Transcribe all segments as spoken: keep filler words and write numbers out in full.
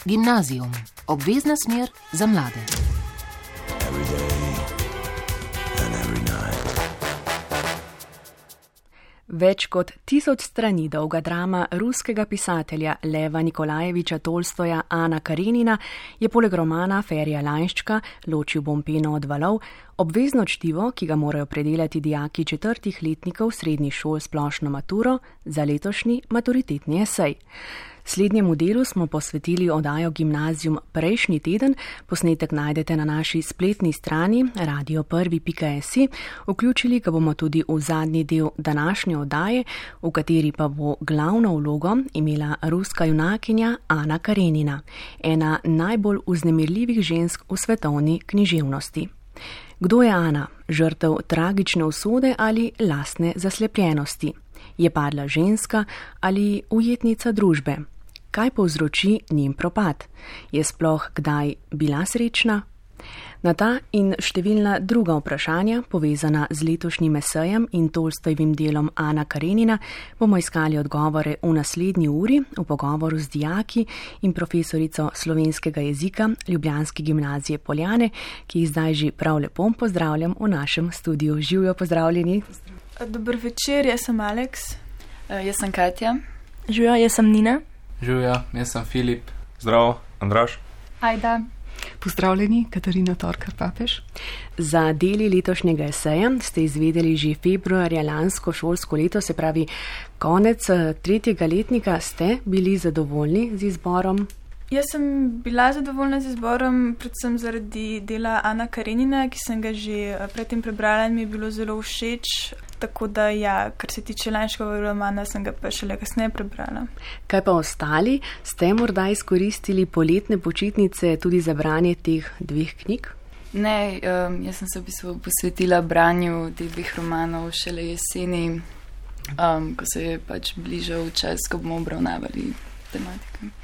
Gimnazijum, obvezna smer za mlade. Več kot tisoč strani dolga drama ruskega pisatelja Leva Nikolajeviča Tolstoja Ana Karenina je poleg romana Ferija Lainščka Ločil bom peno od valov obvezno čtivo, ki ga morajo predelati dijaki četrtih letnikov srednjih šol splošno maturo za letošnji maturitetni esej. Slednjemu delu smo posvetili oddajo Gimnazijum prejšnji teden, posnetek najdete na naši spletni strani radio prvi pika si, vključili ga bomo tudi v zadnji del današnje oddaje, v kateri pa bo glavno vlogo imela ruska junakinja Ana Karenina, ena najbolj vznemirljivih žensk v svetovni književnosti. Kdo je Ana, žrtev tragične usode ali lastne zaslepljenosti? Je padla ženska ali ujetnica družbe? Kaj povzroči njen propad? Je sploh kdaj bila srečna? Na ta in številna druga vprašanja, povezana z letošnjim esejem in Tolstojevim delom Ana Karenina, bomo iskali odgovore v naslednji uri v pogovoru z dijaki in profesorico slovenskega jezika ljubljanske gimnazije Poljane, ki jih zdaj že prav lepo pozdravljam v našem studiu. Živjo, pozdravljeni. Dober večer, jaz sem Aleks. Uh, jaz sem Katja. Živjo, jaz sem Nina. Živjo, jaz sem Filip. Zdravo, Andraž. Ajda. Pozdravljeni, Katarina Torkar Papež. Za deli letošnjega eseja ste izvedeli že februarja lansko šolsko leto, se pravi konec tretjega letnika. Ste bili zadovoljni z izborom? Jaz sem bila zadovoljna z izborom, predvsem zaradi dela Ana Karenina, ki sem ga že predtem prebrala in mi je bilo zelo všeč. Tako da ja, kar se tiče Lainščkovega romana, sem ga pa šele kasneje prebrala. Kaj pa ostali? Ste morda izkoristili poletne počitnice tudi za branje teh dveh knjig? Ne, um, jaz sem se v bistvu posvetila branju teh dveh romanov šele jeseni, um, ko se je pač bližal čas, ko bomo obravnavali tematike.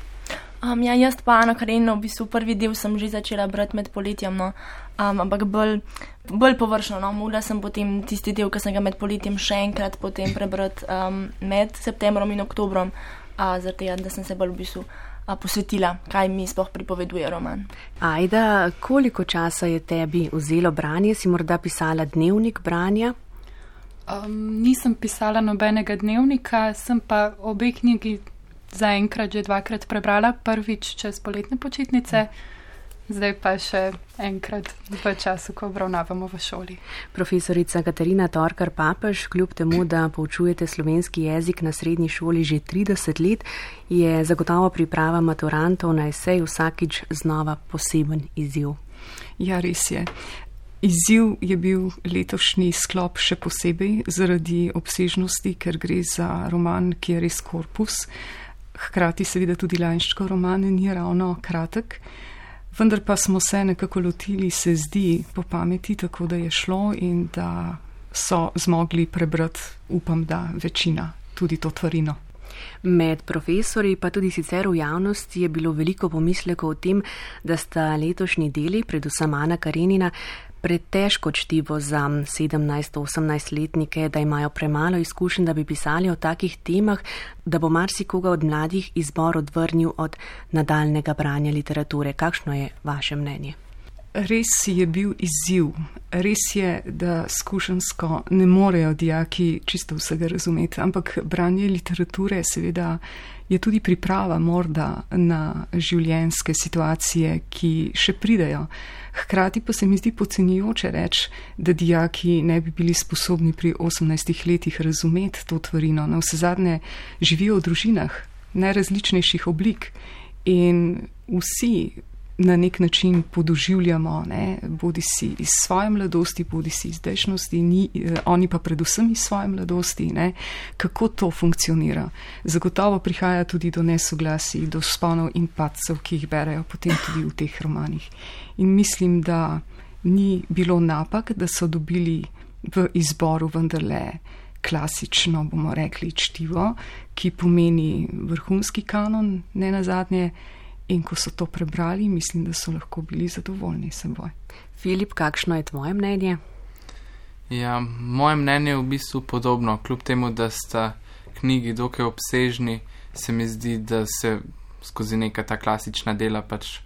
Um, ja, jaz pa Ana Karenina, v bistvu prvi del sem že začela brati med poletjem, no. um, ampak bolj, bolj površno. No. Mogla sem potem tisti del, ki sem ga med poletjem še enkrat potem prebrati um, med septembrom in oktobrom, uh, zaradi tega, da sem se bolj v bistvu uh, posvetila, kaj mi sploh pripoveduje roman. Ajda, koliko časa je tebi vzelo branje? Si morda pisala dnevnik branja? Um, nisem pisala nobenega dnevnika, sem pa obe knjigi zaenkrat že dvakrat prebrala, prvič čez poletne počitnice, zdaj pa še enkrat v času, ko obravnavamo v šoli. Profesorica Katarina Torkar Papež, kljub temu, da poučujete slovenski jezik na srednji šoli že trideset let, je zagotovo priprava maturantov na esej vsakič znova poseben izziv. Ja, res je. Izziv je bil letošnji sklop še posebej zaradi obsežnosti, ker gre za roman, ki je res korpus. Hkrati seveda tudi Lainščkov roman ni ravno kratek, vendar pa smo se nekako lotili, se zdi, po pameti, tako da je šlo in da so zmogli prebrati, upam, da večina, tudi to tvarino. Med profesori pa tudi sicer v javnosti je bilo veliko pomislekov o tem, da sta letošnji deli, predvsem Ana Karenina, pretežko čtivo za sedemnajst-osemnajstletnike, da imajo premalo izkušenj, da bi pisali o takih temah, da bo marsikoga od mladih izbor odvrnil od nadaljnega branja literature. Kakšno je vaše mnenje? Res je bil izziv. Res je, da skušensko ne morejo dijaki čisto vsega razumeti, ampak branje literature seveda je tudi priprava morda na življenjske situacije, ki še pridejo. Hkrati pa se mi zdi podcenjujoče reči, da dijaki ne bi bili sposobni pri osemnajstih letih razumeti to tvarino. Na vsezadnje živijo v družinah najrazličnejših oblik in vsi na nek način podoživljamo, ne, bodi si iz svoje mladosti, bodi si iz zdajšnjosti, ni, oni pa predvsem iz svoje mladosti, ne, kako to funkcionira. Zagotovo prihaja tudi do nesoglasij, do vzponov in padcev, ki jih berejo potem tudi v teh romanih. In mislim, da ni bilo napak, da so dobili v izboru vendarle klasično, bomo rekli, čtivo, ki pomeni vrhunski kanon, ne nazadnje. In ko so to prebrali, mislim, da so lahko bili zadovoljni s seboj. Filip, kakšno je tvoje mnenje? Ja, moje mnenje je v bistvu podobno. Kljub temu, da sta knjigi dokaj obsežni, se mi zdi, da se skozi neka ta klasična dela pač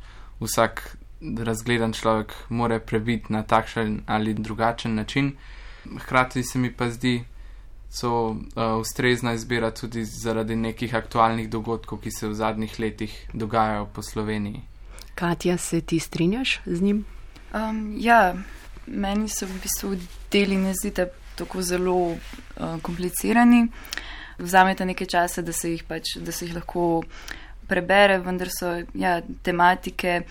vsak razgledan človek more prebiti na takšen ali drugačen način. Hkrati se mi pa zdi, so uh, ustrezna izbira tudi zaradi nekih aktualnih dogodkov, ki se v zadnjih letih dogajajo po Sloveniji. Katja, se ti strinjaš z njim? Um, ja, meni so v bistvu deli ne zdite tako zelo uh, komplicirani. Vzamete nekaj časa, da se jih pač, da se jih lahko prebere, vendar so ja, tematike,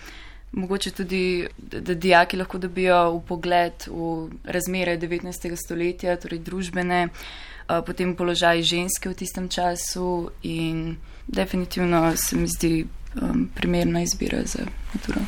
mogoče tudi, da, da dijaki lahko dobijo vpogled v razmere devetnajstega stoletja, torej družbene, uh, potem položaj ženske v tistem času in definitivno se mi zdi um, primerna izbira za maturo.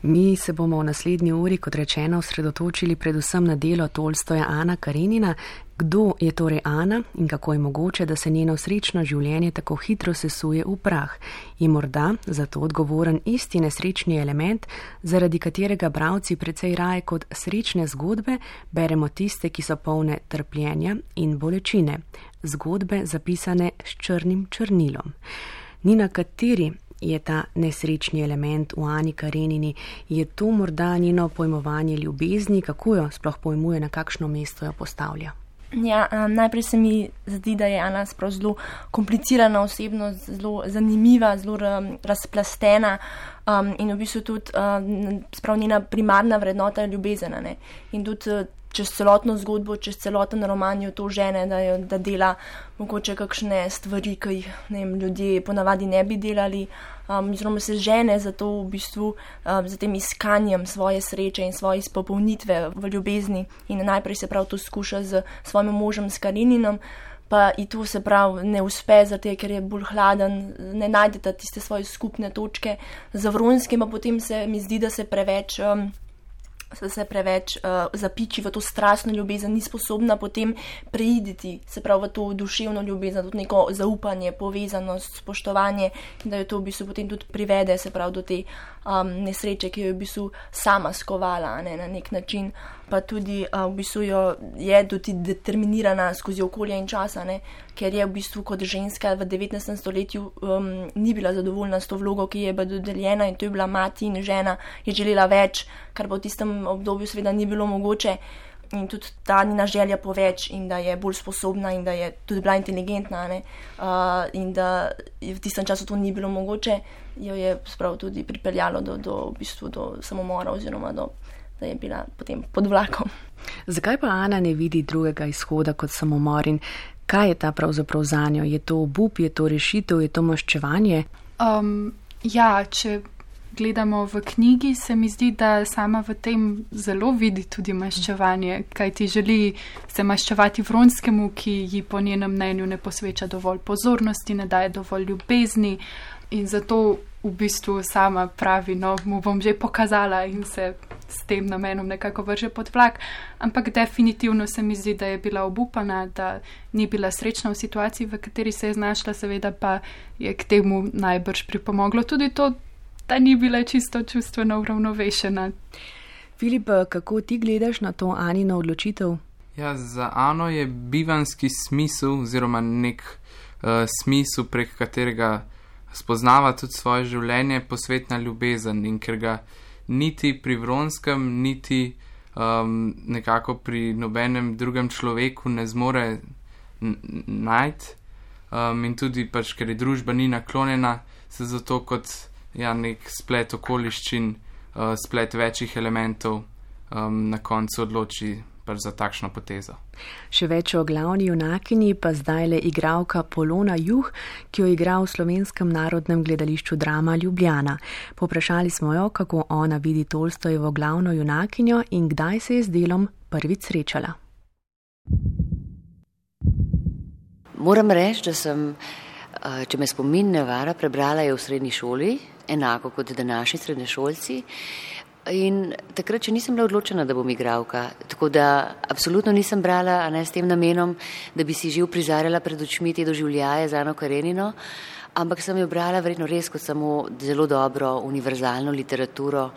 Mi se bomo v naslednji uri, kot rečeno, osredotočili predvsem na delo Tolstoja Ana Karenina. Kdo je torej Ana in kako je mogoče, da se njeno srečno življenje tako hitro sesuje v prah? Je morda za to odgovoren isti nesrečni element, zaradi katerega bralci precej raje kot srečne zgodbe beremo tiste, ki so polne trpljenja in bolečine, zgodbe zapisane s črnim črnilom. Ni na kateri je ta nesrečni element v Ani Karenini, je to morda njeno pojmovanje ljubezni, kako jo sploh pojmuje, na kakšno mesto jo postavlja? Ja, um, najprej se mi zdi, da je Ana sprav zelo komplicirana osebnost, zelo zanimiva, zelo um, razplastena um, in v bistvu tudi um, sprav njena primarna vrednota je ljubezen. Ne? In tudi uh, čez celotno zgodbo, čez celoten roman jo to žene, da, jo, da dela mogoče kakšne stvari, ki jih ne vem, ljudje ponavadi ne bi delali. Um, oziroma se žene za to v bistvu, um, za tem iskanjem svoje sreče in svoje izpopolnitve v ljubezni in najprej se prav to skuša z svojim možem, s Kareninom, pa i to se prav ne uspe, zato ker je bolj hladen, ne najdeta tiste svoje skupne točke. Za Vronskim pa potem se mi zdi, da se preveč... Um, se preveč uh, zapiči v to strastno ljubezen, ni sposobna potem preiditi, se pravi v to duševno ljubezen, tudi neko zaupanje, povezanost, spoštovanje, in da jo to v bistvu potem tudi privede, se pravi do te um, nesreče, ki jo je v bistvu sama skovala, ne, na nek način, pa tudi uh, v bistvu jo je tudi determinirana skozi okolje in časa, ne, ker je v bistvu kot ženska v devetnajstem stoletju um, ni bila zadovoljna s to vlogo, ki je bila dodeljena, in to je bila mati in žena, je želela več, kar pa v tistem obdobju seveda ni bilo mogoče, in tudi ta njena želja po več in da je bolj sposobna in da je tudi bila inteligentna, ne, uh, in da v tistem času to ni bilo mogoče, jo je sprav tudi pripeljalo do, do, v bistvu do samomora oziroma do, da je bila potem pod vlakom. Zakaj pa Ana ne vidi drugega izhoda kot samomor in kaj je ta pravzaprav zanjo? Je to obup, je to rešitev, je to maščevanje? Um, ja, če gledamo v knjigi, se mi zdi, da sama v tem zelo vidi tudi maščevanje, kaj ti želi se maščevati Vronskemu, ki ji po njenem mnenju ne posveča dovolj pozornosti, ne daje dovolj ljubezni in zato v bistvu sama pravi, no, mu bom že pokazala in se s tem namenom nekako vrže pod vlak, ampak definitivno se mi zdi, da je bila obupana, da ni bila srečna v situaciji, v kateri se je znašla, seveda pa je k temu najbrž pripomoglo tudi to, da ni bila čisto čustveno uravnovešena. Filip, kako ti gledaš na to Anino odločitev? Ja, za Ano je bivanski smisel oziroma nek uh, smisel, prek katerega spoznava tudi svoje življenje, posvetna ljubezen, in ker ga niti pri Vronskem, niti um, nekako pri nobenem drugem človeku ne zmore najti, um, in tudi pač, ker je družba ni naklonjena, se zato kot ja, nek splet okoliščin, uh, splet večjih elementov um, na koncu odloči pač za takšno potezo. Še več o glavni junakinji pa zdaj le igralka Polona Juh, ki jo igra v Slovenskem narodnem gledališču Drama Ljubljana. Poprašali smo jo, kako ona vidi Tolstojevo glavno junakinjo in kdaj se je z delom prvič srečala. Moram reči, da sem, če me spomin ne vara, prebrala je v srednji šoli, enako kot današnji srednješolci. In takrat, če nisem bila odločena, da bom igralka, tako da absolutno nisem brala, a ne s tem namenom, da bi si že uprizarjala pred očmi te doživljaje z Ano Karenino, ampak sem jo brala verjetno res kot samo zelo dobro univerzalno literaturo,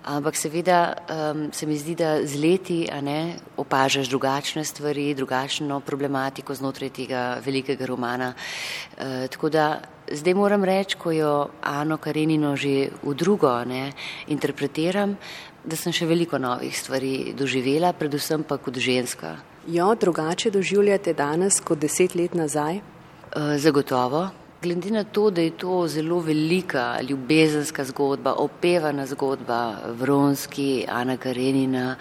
ampak seveda um, se mi zdi, da z leti, a ne, opažaš drugačne stvari, drugačno problematiko znotraj tega velikega romana, uh, tako da zdaj moram reči, ko jo Ano Karenino že v drugo ne, interpretiram, da sem še veliko novih stvari doživela, predvsem pa kot ženska. Jo drugače doživljate danes kot deset let nazaj? Zagotovo. Glede na to, da je to zelo velika ljubezenska zgodba, opevana zgodba, Vronski, Ana Karenina,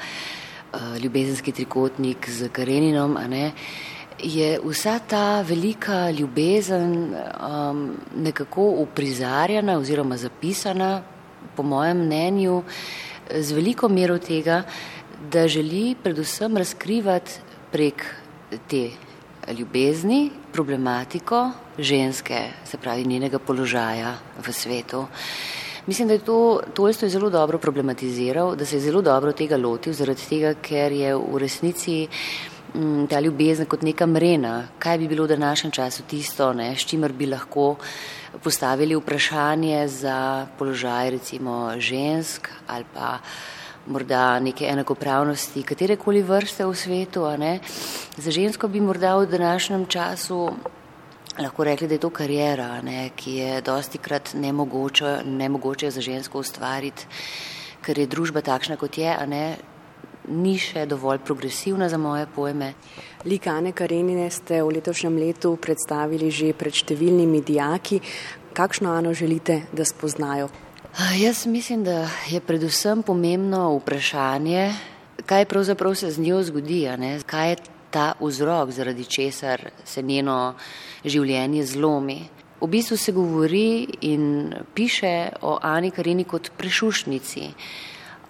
ljubezenski trikotnik z Kareninom, a ne, je vsa ta velika ljubezen um, nekako uprizarjana oziroma zapisana, po mojem mnenju, z veliko mero tega, da želi predvsem razkrivati prek te ljubezni problematiko ženske, se pravi njenega položaja v svetu. Mislim, da je to Tolstoj zelo dobro problematiziral, da se je zelo dobro tega lotil, zaradi tega, ker je v resnici m, ta ljubezen kot neka mrena. Kaj bi bilo v današnjem času tisto, ne, s čimer bi lahko postavili vprašanje za položaj recimo žensk ali pa morda neke enakopravnosti katerekoli vrste v svetu, a ne. Za žensko bi morda v današnjem času lahko rekli, da je to karijera, ne, ki je dostikrat nemogoče, nemogoče za žensko ustvariti, ker je družba takšna, kot je, a ne, ni še dovolj progresivna za moje pojme. Lik Ane Karenine ste v letošnjem letu predstavili že pred številnimi dijaki. Kakšno Ano želite, da spoznajo? Jaz mislim, da je predvsem pomembno vprašanje, kaj pravzaprav se z njo zgodi, a ne, kaj je ta vzrok, zaradi česar se njeno življenje zlomi. V bistvu se govori in piše o Ani Karenini kot prešuštnici.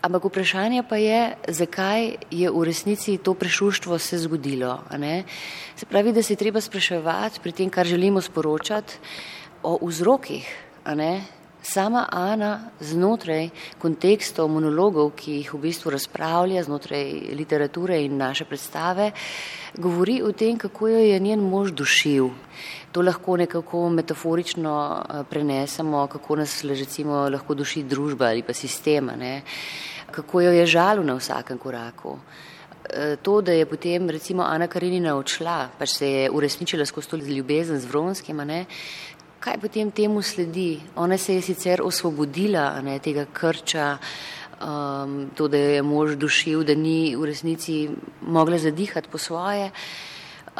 Ampak vprašanje pa je, zakaj je v resnici to prešuštvo se zgodilo. A ne? Se pravi, da se je treba spraševati pri tem, kar želimo sporočati, o vzrokih. A ne? Sama Ana znotraj kontekstov monologov, ki jih v bistvu razpravlja znotraj literature in naše predstave, govori o tem, kako jo je njen mož dušil. To lahko nekako metaforično prenesemo, kako nas recimo lahko duši družba ali pa sistema, ne? Kako jo je žalil na vsakem koraku. To, da je potem recimo Ana Karenina odšla, pač se je uresničila skozi to ljubezen z Vronskim, ne? Kaj potem temu sledi? Ona se je sicer osvobodila, ne, tega krča, um, to, da je mož dušil, da ni v resnici mogla zadihati po svoje,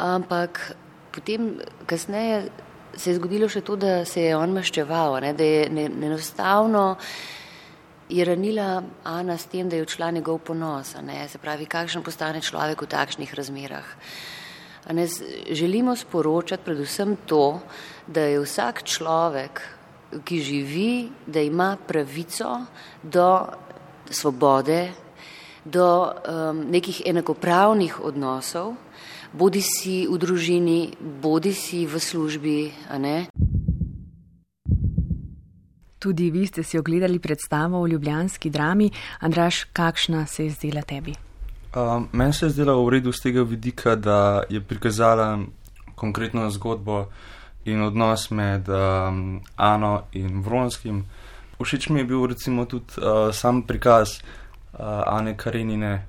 ampak potem kasneje se je zgodilo še to, da se je on maščeval, ne, da je ne, enostavno je ranila Ana s tem, da je odšla njegov ponos, ne, se pravi, kakšen postane človek v takšnih razmerah. Ne, želimo sporočati predvsem to, da je vsak človek, ki živi, da ima pravico do svobode, do um, nekih enakopravnih odnosov, bodi si v družini, bodi si v službi, a ne. Tudi vi ste si ogledali predstavo v ljubljanski drami. Andraž, kakšna se je zdela tebi? Uh, meni se je zdela v redu z tega vidika, da je prikazala konkretno zgodbo in odnos med um, Ano in Vronskim. Všeč mi je bil recimo tudi uh, sam prikaz uh, Ane Karenine.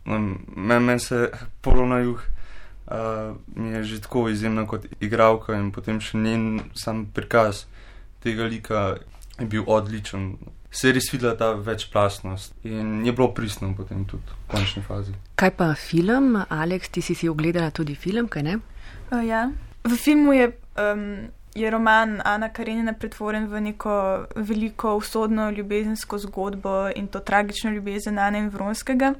Meni men se Polo na juh uh, mi je že tako izjemna kot igralka in potem še njen sam prikaz tega lika je bil odličen. Se je res videla ta večplastnost in je bilo pristno potem tudi v končni fazi. Kaj pa film? Aleks, ti si si ogledala tudi film, kaj ne? Uh, ja. V filmu je, um, je roman Ana Karenina pretvoren v neko veliko usodno ljubezensko zgodbo in to tragično ljubezen Ane in Vronskega.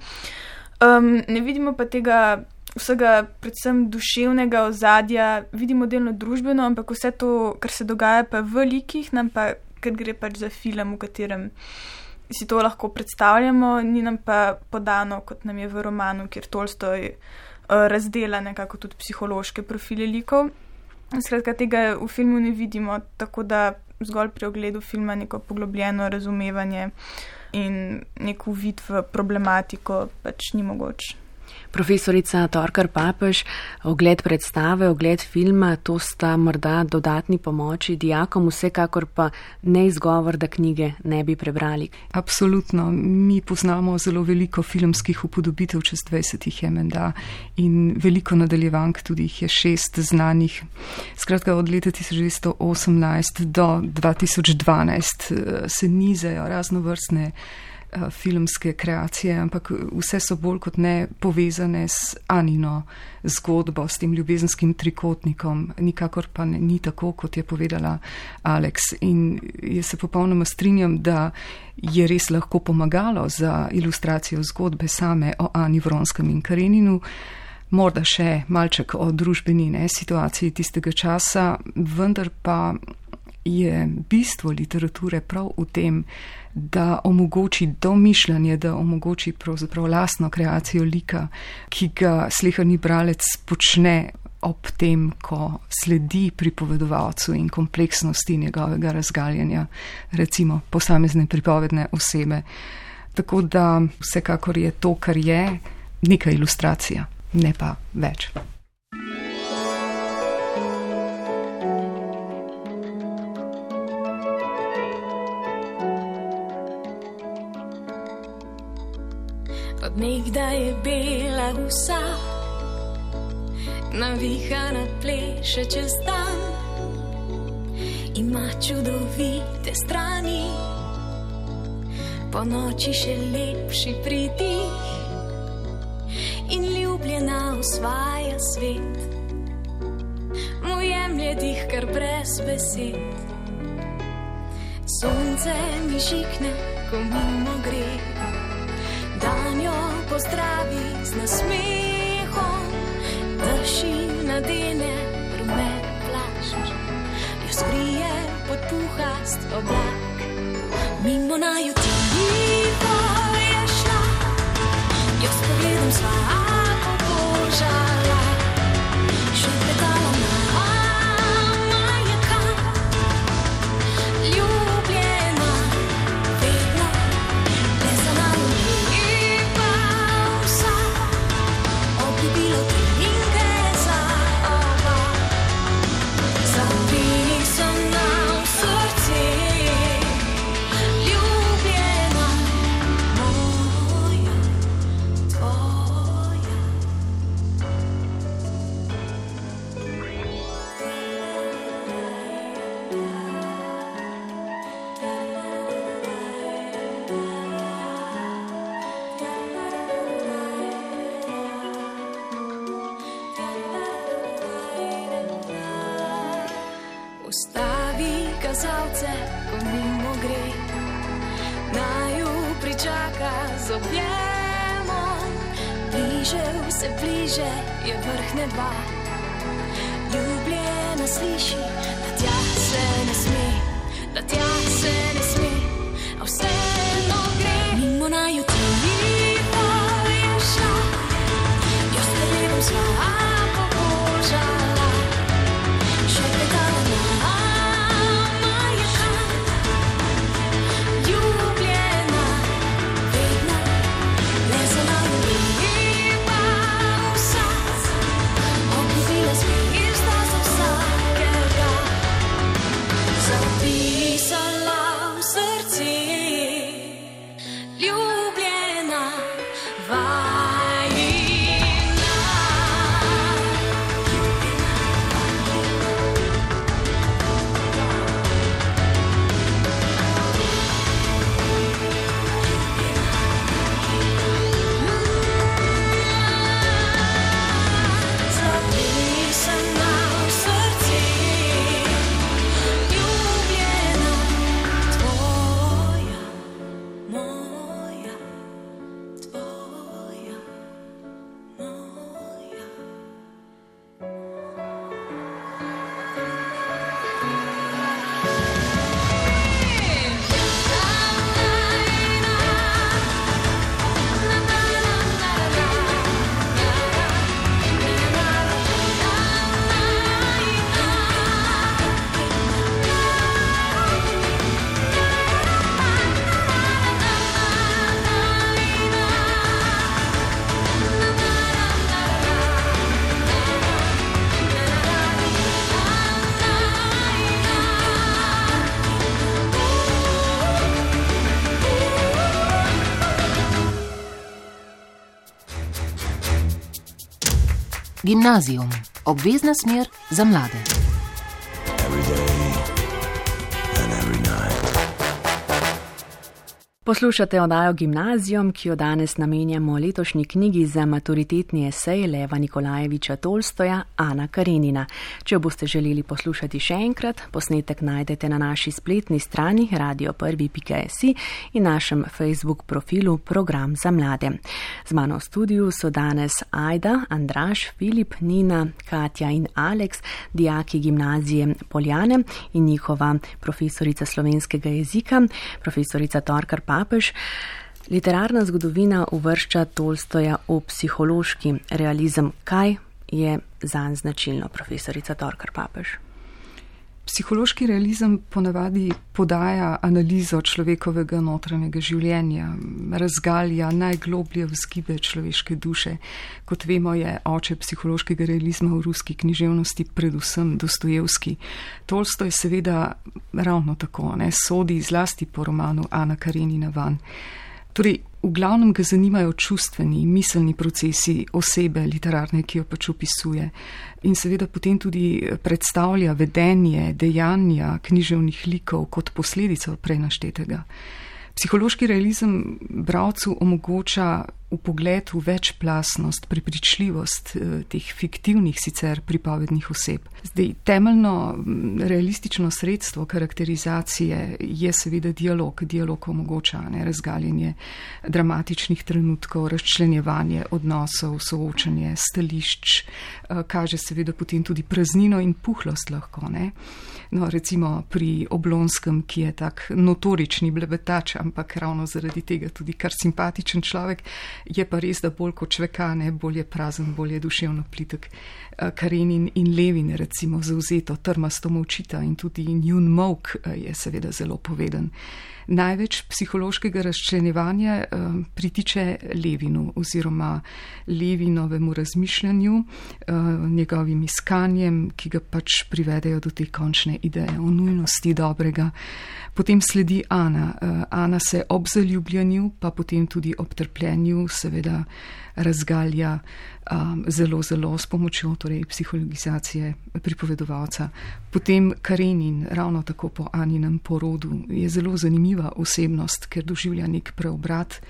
Um, ne vidimo pa tega vsega predvsem duševnega ozadja, vidimo delno družbeno, ampak vse to, kar se dogaja pa v likih, nam pa ker gre pač za film, v katerem si to lahko predstavljamo, ni nam pa podano, kot nam je v romanu, kjer Tolstoj uh, razdela nekako tudi psihološke profile likov. Skratka, tega v filmu ne vidimo, tako da zgolj pri ogledu filma neko poglobljeno razumevanje in nek uvid v problematiko pač ni mogoč. Profesorica Torkar Papež, ogled predstave, ogled filma, to sta morda dodatni pomoči dijakom, vsekakor pa ne izgovor, da knjige ne bi prebrali. Absolutno. Mi poznamo zelo veliko filmskih upodobitev, čez dvajset jih je menda in veliko nadaljevank, tudi jih je šest znanih. Skratka, od leta tisoč devetsto osemnajst do dva tisoč dvanajst se nizajo raznovrstne filmske kreacije, ampak vse so bolj kot ne povezane s Anino zgodbo, s tem ljubezenskim trikotnikom. Nikakor pa ne, ni tako, kot je povedala Alex. In jaz se popolnoma strinjam, da je res lahko pomagalo za ilustracijo zgodbe same o Ani Vronskem in Kareninu, morda še malček o družbeni ne, situaciji tistega časa, vendar pa je bistvo literature prav v tem, da omogoči domišljanje, da omogoči pravzaprav lastno kreacijo lika, ki ga sleherni bralec počne ob tem, ko sledi pripovedovalcu in kompleksnosti njegovega razgaljanja, recimo posamezne pripovedne osebe. Tako da vsekakor je to, kar je, neka ilustracija, ne pa več. Od nekdaj je bela vsa, navihana pleše čez dan, ima čudovite strani, po noči še lepši pridih in ljubljena osvaja svet, mu jemlje dih kar brez besed. Sonce mi žikne, ko mimo gre, dan jo pozdravi z nasmehom, drži nadene rumen plašč, jo skrije pod puhast oblak. Mimo naju tiho je šla, jo s pogledom sva pobožala, še predala nama je kam, ljubljena vedno, le za nami. Bilo trinke za oba, zapisana v srce, ljubljena moja, tvoja. Ustavi kazalce, ko mimo gre, naju pričaka z objemom, bliže vse bliže je vrh neba, ljubljena sliši, da tja se ne sme, da tja se ne sme, a vseeno gre. Mimo naju tiho je šla, jo s pogledom sva pobožala, še predala nama je kam, ljubljena vedno, le za nami lepa vsa, obljubila zvezda za vsakega. Gimnazijum, obvezna smer za mlade. Poslušate oddajo Gimnazijum, ki jo danes namenjamo letošnji knjigi za maturitetni esej Leva Nikolajeviča Tolstoja Ana Karenina. Če jo boste želeli poslušati še enkrat, posnetek najdete na naši spletni strani radio prvi pika si in našem Facebook profilu Program za mlade. Z mano v studiu so danes Ajda, Andraž, Filip, Nina, Katja in Aleks, dijaki gimnazije Poljane in njihova profesorica slovenskega jezika, profesorica Torkar Papež. Literarna zgodovina uvršča Tolstoja v psihološki realizem. Kaj je zanj značilno, profesorica Torkar Papež? Psihološki realizem ponavadi podaja analizo človekovega notranjega življenja, razgalja najgloblje vzgibe človeške duše. Kot vemo, je oče psihološkega realizma v ruski književnosti predvsem Dostojevski. Tolstoj seveda ravno tako, ne, sodi zlasti po romanu Ana Karenina van. Torej, v glavnem ga zanimajo čustveni, miselni procesi osebe literarne, ki jo pač opisuje. In seveda potem tudi predstavlja vedenje, dejanja književnih likov kot posledico prej naštetega. Psihološki realizem bralcu omogoča vpogled v večplastnost, prepričljivost teh fiktivnih sicer pripovednih oseb. Zdaj, temeljno realistično sredstvo karakterizacije je seveda dialog. Dialog omogoča ne, razgaljenje dramatičnih trenutkov, razčlenjevanje odnosov, soočanje stališč, kaže seveda potem tudi praznino in puhlost lahko. Ne. No, recimo pri Oblonskem, ki je tak notorični blebetač, ampak ravno zaradi tega tudi kar simpatičen človek, je pa res, da bolj kot čvekane, bolj je prazen, bolj je duševno plitek. Karenin in Levin recimo zauzeto trmasto molčita in tudi njun molk je seveda zelo poveden. Največ psihološkega razčlenjevanja eh, pritiče Levinu oziroma Levinovemu razmišljanju, eh, njegovim iskanjem, ki ga pač privedejo do te končne ideje o nujnosti dobrega. Potem sledi Ana. Eh, Ana se ob zaljubljanju, pa potem tudi ob trpljenju seveda razgalja um, zelo, zelo s pomočjo torej, psihologizacije pripovedovalca. Potem Karenin, ravno tako po Aninem porodu, je zelo zanimiva osebnost, ker doživlja nek preobrat,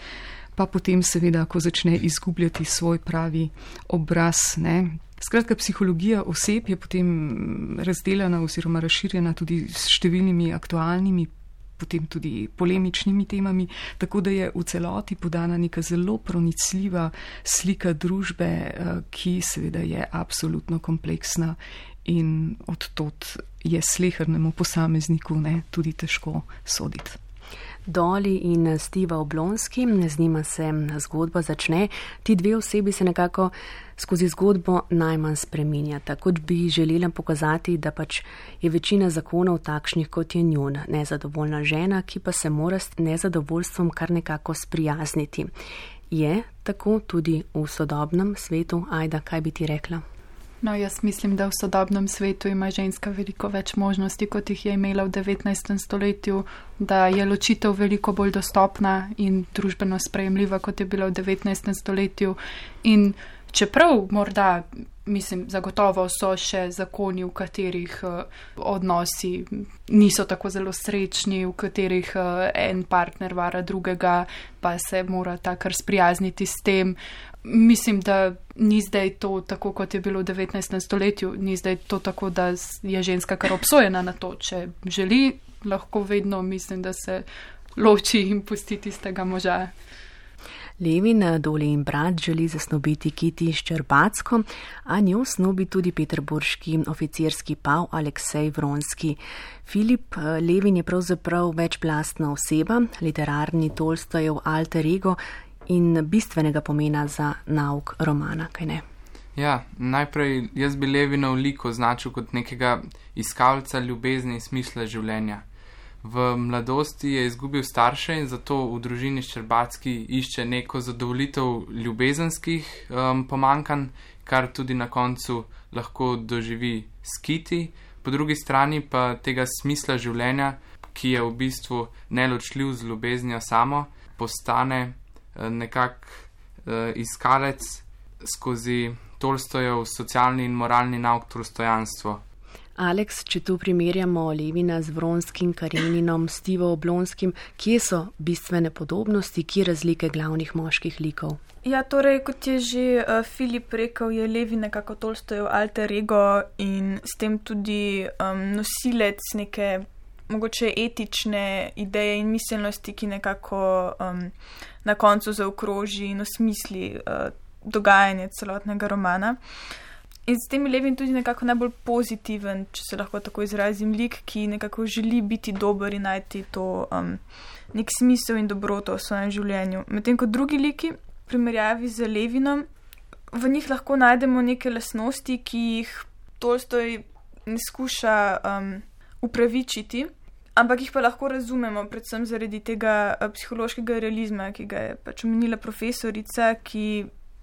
pa potem seveda, ko začne izgubljati svoj pravi obraz. Ne. Skratka, psihologija oseb je potem razdeljena oziroma razširjena tudi s številnimi aktualnimi potem tudi polemičnimi temami, tako da je v celoti podana neka zelo pronicljiva slika družbe, ki seveda je absolutno kompleksna in odtot je slehernemu posamezniku ne, tudi težko soditi. Dolly in Steve Oblonski, z njima se zgodba začne. Ti dve osebi se nekako skozi zgodbo najmanj spreminjata, kot bi želela pokazati, da pač je večina zakonov takšnih, kot je njun. Nezadovoljna žena, ki pa se mora s nezadovoljstvom kar nekako sprijazniti. Je tako tudi v sodobnem svetu? Ajda, kaj bi ti rekla? No, jaz mislim, da v sodobnem svetu ima ženska veliko več možnosti, kot jih je imela v devetnajstem stoletju, da je ločitev veliko bolj dostopna in družbeno sprejemljiva, kot je bila v devetnajstem stoletju. In čeprav morda, mislim, zagotovo so še zakoni, v katerih uh, odnosi niso tako zelo srečni, v katerih uh, en partner vara drugega, pa se mora ta kar sprijazniti s tem. Mislim, da ni zdaj to tako, kot je bilo v devetnajstem stoletju, ni zdaj to tako, da je ženska kar obsojena na to. Če želi, lahko vedno mislim, da se loči in pusti tistega moža. Levin, Dolly in brat želi zasnobiti Kiti Ščerbacko, a njo snobi tudi peterburški oficirski pav Aleksej Vronski. Filip, Levin je pravzaprav večplastna oseba, literarni Tolstojev alter ego in bistvenega pomena za nauk romana, kaj ne? Ja, najprej jaz bi Levinov lik označil kot nekega iskalca ljubezni in smisla življenja. V mladosti je izgubil starše in zato v družini Ščerbacki išče neko zadovoljitev ljubezenskih um, pomanjkanj, kar tudi na koncu lahko doživi s Kiti. Po drugi strani pa tega smisla življenja, ki je v bistvu neločljiv z ljubeznijo samo, postane nekak uh, iskalec skozi Tolstojev socialni in moralni nauk Tolstojanstvo. Aleks, če tu primerjamo Levina z Vronskim, Kareninom, Stivo Oblonskim, kje so bistvene podobnosti, kje razlike glavnih moških likov? Ja, torej, kot je že uh, Filip rekel, je Levin nekako Tolstojev alter ego in s tem tudi um, nosilec neke mogoče etične ideje in miselnosti, ki nekako um, na koncu zaokroži in osmisli uh, dogajanje celotnega romana. In s tem je Levin tudi nekako najbolj pozitiven, če se lahko tako izrazim, lik, ki nekako želi biti dober in najti to um, nek smisel in dobroto v svojem življenju. Medtem ko drugi liki, v primerjavi z Levinom, v njih lahko najdemo neke lastnosti, ki jih Tolstoj ne skuša um, upravičiti, ampak jih pa lahko razumemo, predvsem zaradi tega uh, psihološkega realizma, ki ga je pač omenila profesorica, ki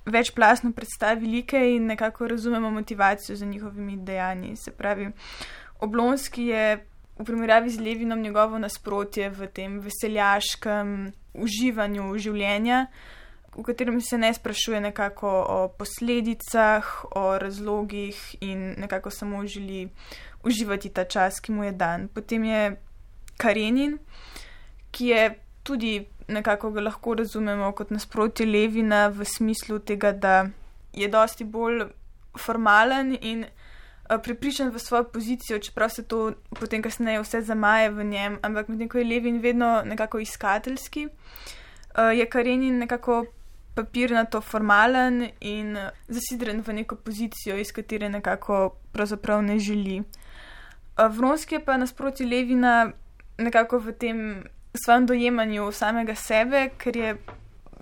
večplastno predstavi like in nekako razumemo motivacijo za njihovimi dejanji. Se pravi, Oblonski je v primerjavi z Levinom njegovo nasprotje v tem veseljaškem uživanju življenja, v katerem se ne sprašuje nekako o posledicah, o razlogih in nekako samo želi uživati ta čas, ki mu je dan. Potem je Karenin, ki je tudi nekako ga lahko razumemo kot nasprotje Levina v smislu tega, da je dosti bolj formalen in prepričan v svojo pozicijo, čeprav se to potem kasneje vse zamaje v njem, ampak medtem ko je Levin vedno nekako iskateljski, je Karenin nekako papirnato formalen in zasidren v neko pozicijo, iz katere nekako pravzaprav ne želi. Vronski je pa nasproti Levina nekako v tem svojem dojemanju samega sebe, ker je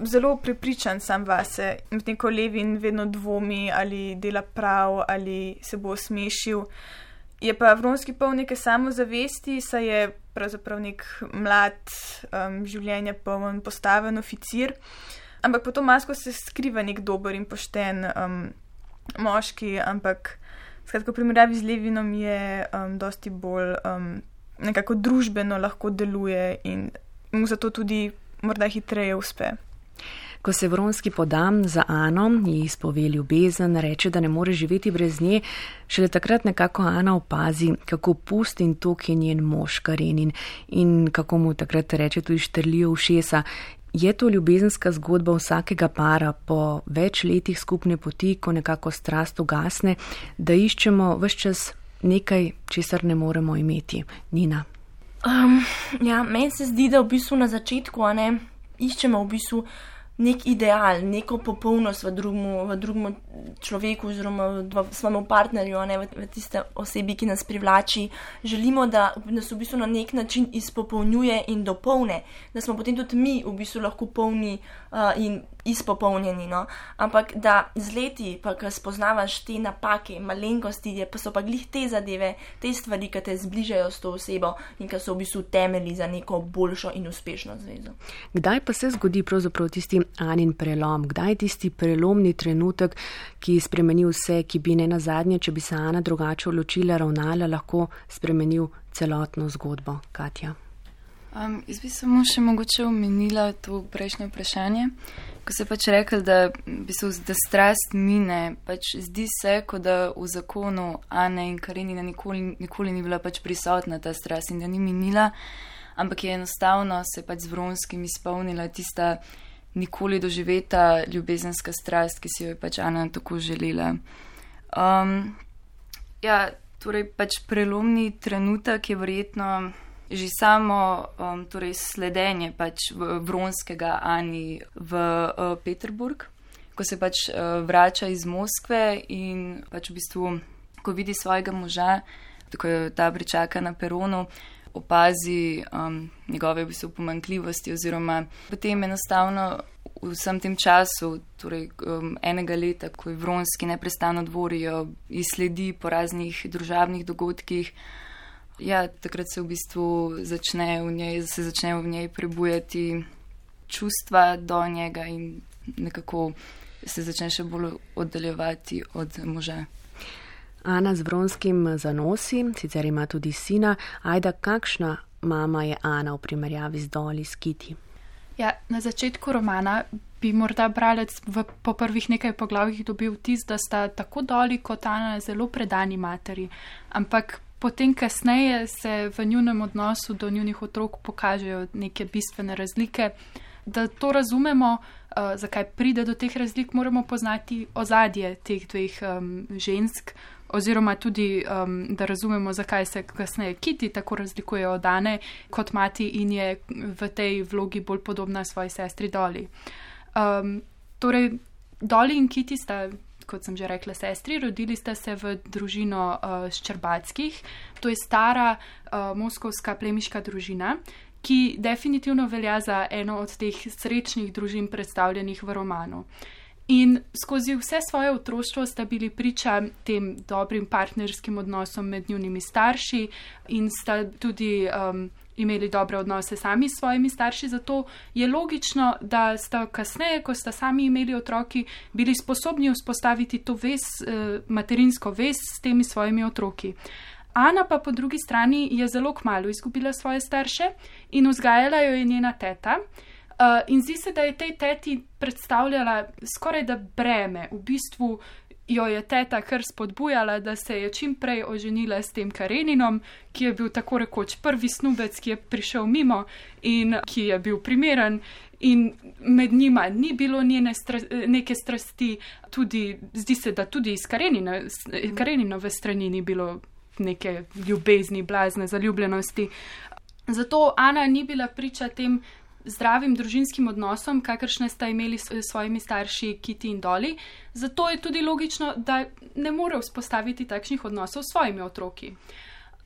zelo prepričan sam vase. Medtem ko Levin vedno dvomi, ali dela prav, ali se bo osmešil. Je pa Vronski poln neke samozavesti, saj je pravzaprav nek mlad, um, življenja poln, postaven oficir. Ampak pod to masko se skriva nek dober in pošten um, moški, ampak skratka, v primerjavi z Levinom je um, dosti bolj um, nekako družbeno lahko deluje in mu zato tudi morda hitreje uspe. Ko se Vronski poda za Ano, ji izpove ljubezen, reče, da ne more živeti brez nje, šele takrat nekako Ana opazi, kako pust in tok je njen mož Karenin in kako mu takrat reče tudi štrlijo ušesa. Je to ljubezenska zgodba vsakega para po več letih skupne poti, ko nekako strast ugasne, da iščemo ves čas nekaj, česar ne moremo imeti. Nina. Um, ja, meni se zdi, da v bistvu na začetku, a ne, iščemo v bistvu nek ideal, neko popolnost v drugmu, v drugmu človeku oziroma v svojemu partnerju, ne, v, v tiste osebi, ki nas privlači. Želimo, da nas v bistvu na nek način izpopolnjuje in dopolne, da smo potem tudi mi v bistvu lahko polni uh, in izpopolnjeni, no. Ampak da z leti, pa ko spoznavaš te napake, malenkosti, je, pa so pa glih te zadeve, te stvari, ki te zbližajo s to osebo in ki so v bistvu temelji za neko boljšo in uspešno zvezo. Kdaj pa se zgodi pravzaprav tisti Anin prelom? Kdaj je tisti prelomni trenutek, ki spremeni vse, ki bi ne nazadnje, če bi se Ana drugače odločila, ravnala, lahko spremenil celotno zgodbo? Katja. Um, jaz bi samo še mogoče omenila to prejšnje vprašanje, ko se pač rekel, da, da strast mine, pač zdi se, kot da v zakonu Ane in Karenina nikoli, nikoli ni bila pač prisotna ta strast in da ni minila, ampak je enostavno se pač z Vronskim izpolnila tista nikoli doživeta ljubezenska strast, ki si jo je pač Ana tako želela. Um, ja, torej pač prelomni trenutek je verjetno že samo um, torej sledenje pač Vronskega Ani v uh, Peterburg, ko se pač uh, vrača iz Moskve in pač v bistvu, ko vidi svojega moža, tako je ta pričaka na peronu, opazi um, njegove v bistvu pomanjkljivosti oziroma potem enostavno v vsem tem času, torej um, enega leta, ko je Vronski neprestano dvorijo, izsledi po raznih družabnih dogodkih. Ja, takrat se v bistvu začne v njej, se začne v njej prebujati čustva do njega in nekako se začne še bolj oddaljevati od moža. Ana z Vronskim zanosi, sicer ima tudi sina. Ajda, kakšna mama je Ana v primerjavi z Doli, s Kiti? Ja, na začetku romana bi morda bralec v, po prvih nekaj poglavjih dobil vtis, da sta tako Dolly kot Ana zelo predani materi, ampak potem kasneje se v njunem odnosu do njunih otrok pokažejo neke bistvene razlike. Da to razumemo, uh, zakaj pride do teh razlik, moramo poznati ozadje teh dveh um, žensk, oziroma tudi, um, da razumemo, zakaj se kasneje Kitty tako razlikuje od Ane kot mati in je v tej vlogi bolj podobna svoji sestri Dolly. Um, torej, Dolly in Kitty sta, kot sem že rekla, sestri, rodili sta se v družino uh, Ščerbatskih, to je stara uh, moskovska plemiška družina, ki definitivno velja za eno od teh srečnih družin predstavljenih v romanu. In skozi vse svoje otroštvo sta bili priča tem dobrim partnerskim odnosom med njunimi starši in sta tudi um, imeli dobre odnose sami s svojimi starši, zato je logično, da sta kasneje, ko sta sami imeli otroki, bili sposobni vzpostaviti to vez, eh, materinsko vez s temi svojimi otroki. Ana pa po drugi strani je zelo kmalu izgubila svoje starše in vzgajala jo je njena teta. Uh, in zdi se, da je tej teti predstavljala skoraj da breme. V bistvu jo je teta kar spodbujala, da se je čim prej oženila s tem Kareninom, ki je bil tako rekoč prvi snubec, ki je prišel mimo in ki je bil primeren. In med njima ni bilo njene stra, neke strasti, tudi, zdi se, da tudi iz Karenine, Kareninove strani ni bilo neke ljubezni, blazne zaljubljenosti. Zato Ana ni bila priča tem zdravim družinskim odnosom, kakršne sta imeli s svojimi starši Kitty in Dolly. Zato je tudi logično, da ne more vzpostaviti takšnih odnosov s svojimi otroki.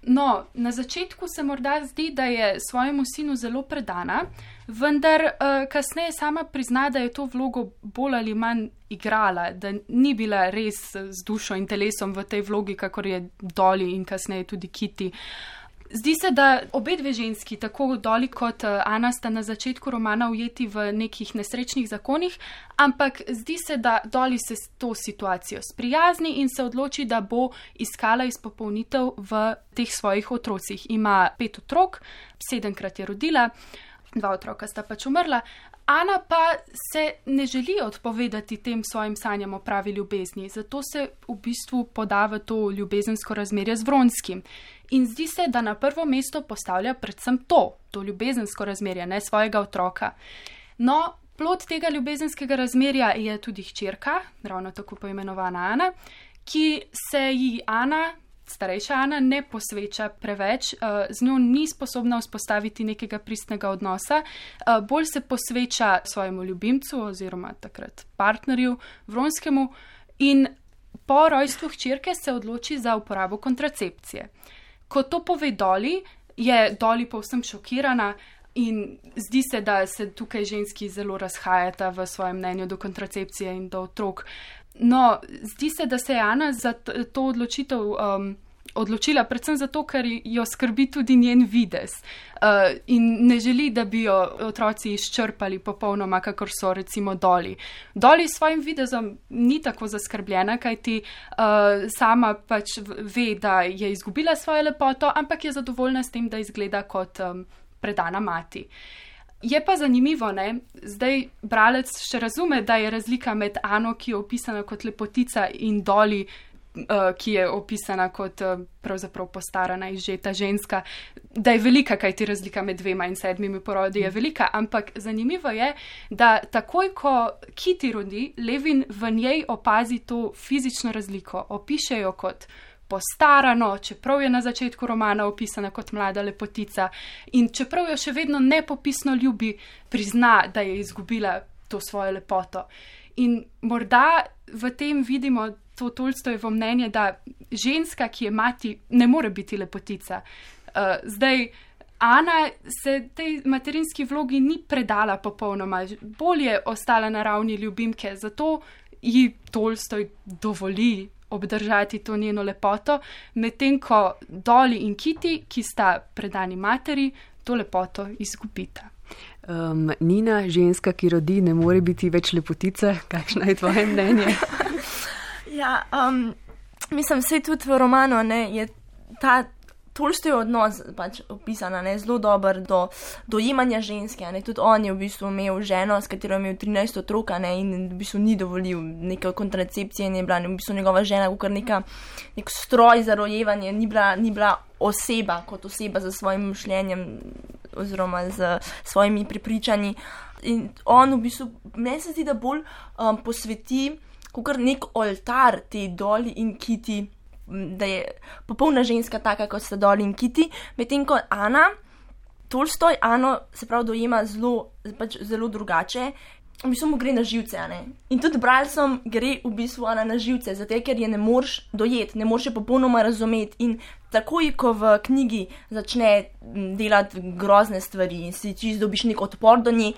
No, na začetku se morda zdi, da je svojemu sinu zelo predana, vendar uh, kasneje sama prizna, da je to vlogo bolj ali manj igrala, da ni bila res z dušo in telesom v tej vlogi, kakor je Dolly in kasneje tudi Kitty. Zdi se, da obe dve ženski, tako Dolly kot Ana, sta na začetku romana ujeti v nekih nesrečnih zakonih, ampak zdi se, da Dolly se s to situacijo sprijazni in se odloči, da bo iskala izpopolnitev v teh svojih otrocih. Ima pet otrok, sedemkrat je rodila, dva otroka sta pač umrla. Ana pa se ne želi odpovedati tem svojim sanjam o pravi ljubezni, zato se v bistvu poda v to ljubezensko razmerje z Vronskim. In zdi se, da na prvo mesto postavlja predvsem to, to ljubezensko razmerje, ne svojega otroka. No, plod tega ljubezenskega razmerja je tudi hčerka, ravno tako poimenovana Ana, ki se ji Ana, starejša Ana, ne posveča preveč, z njo ni sposobna vzpostaviti nekega pristnega odnosa, bolj se posveča svojemu ljubimcu oziroma takrat partnerju Vronskemu in po rojstvu hčerke se odloči za uporabo kontracepcije. Ko to pove Dolly, je Dolly povsem šokirana in zdi se, da se tukaj ženski zelo razhajata v svojem mnenju do kontracepcije in do otrok. No, zdi se, da se je Ana za to odločitev um, odločila predvsem zato, ker jo skrbi tudi njen videz uh, in ne želi, da bi jo otroci izčrpali popolnoma, kakor so recimo Dolly. Dolly s svojim videzom ni tako zaskrbljena, kajti uh, sama pač ve, da je izgubila svojo lepoto, ampak je zadovoljna s tem, da izgleda kot um, predana mati. Je pa zanimivo, ne, zdaj bralec še razume, da je razlika med Ano, ki je opisana kot lepotica, in Dolly, uh, ki je opisana kot uh, pravzaprav postarana, izžeta ženska, da je velika, kajti razlika med dvema in sedmimi porodi je velika, ampak zanimivo je, da takoj, ko Kitty rodi, Levin v njej opazi to fizično razliko, opiše jo kot postarano, čeprav je na začetku romana opisana kot mlada lepotica in čeprav jo še vedno nepopisno ljubi, prizna, da je izgubila to svojo lepoto. In morda v tem vidimo to Tolstojevo mnenje, da ženska, ki je mati, ne more biti lepotica. Uh, zdaj, Ana se tej materinski vlogi ni predala popolnoma, bolj je ostala na ravni ljubimke, zato ji Tolstoj dovoli obdržati to njeno lepoto, medtem ko Dolly in Kitty, ki sta predani materi, to lepoto izgubita. Um, Nina, ženska, ki rodi, ne more biti več lepotica. Kakšno je tvoje mnenje? Ja, um, mislim, vse tudi v romanu, ne, je ta Tolstoj odnos pač opisan, ne, zelo dober do dojemanja ženske, ne, tudi on je v bistvu imel ženo, s katero je imel trinajst otrok, ne, in v bistvu ni dovolil neke kontracepcije in je bila v bistvu njegova žena kot neka, nek stroj za rojevanje, ni bila, ni bila oseba kot oseba za svojim mišljenjem oziroma z svojimi prepričanji. In on v bistvu, meni se zdi, da bolj um, posveti kot nek oltar te Dolly in Kitty, da je popolna ženska taka, kot sta Dolly in Kitty, medtem ko Ana, Tolstoj Ano se pravi dojema zelo, pač zelo drugače, v bistvu mu gre na živce, ne. In tudi bralcem gre v bistvu Ana na živce, zato ker je ne moreš dojeti, ne moreš je popolnoma razumeti in takoj, ko v knjigi začne delati grozne stvari in si čisto dobiš nek odpor do nje,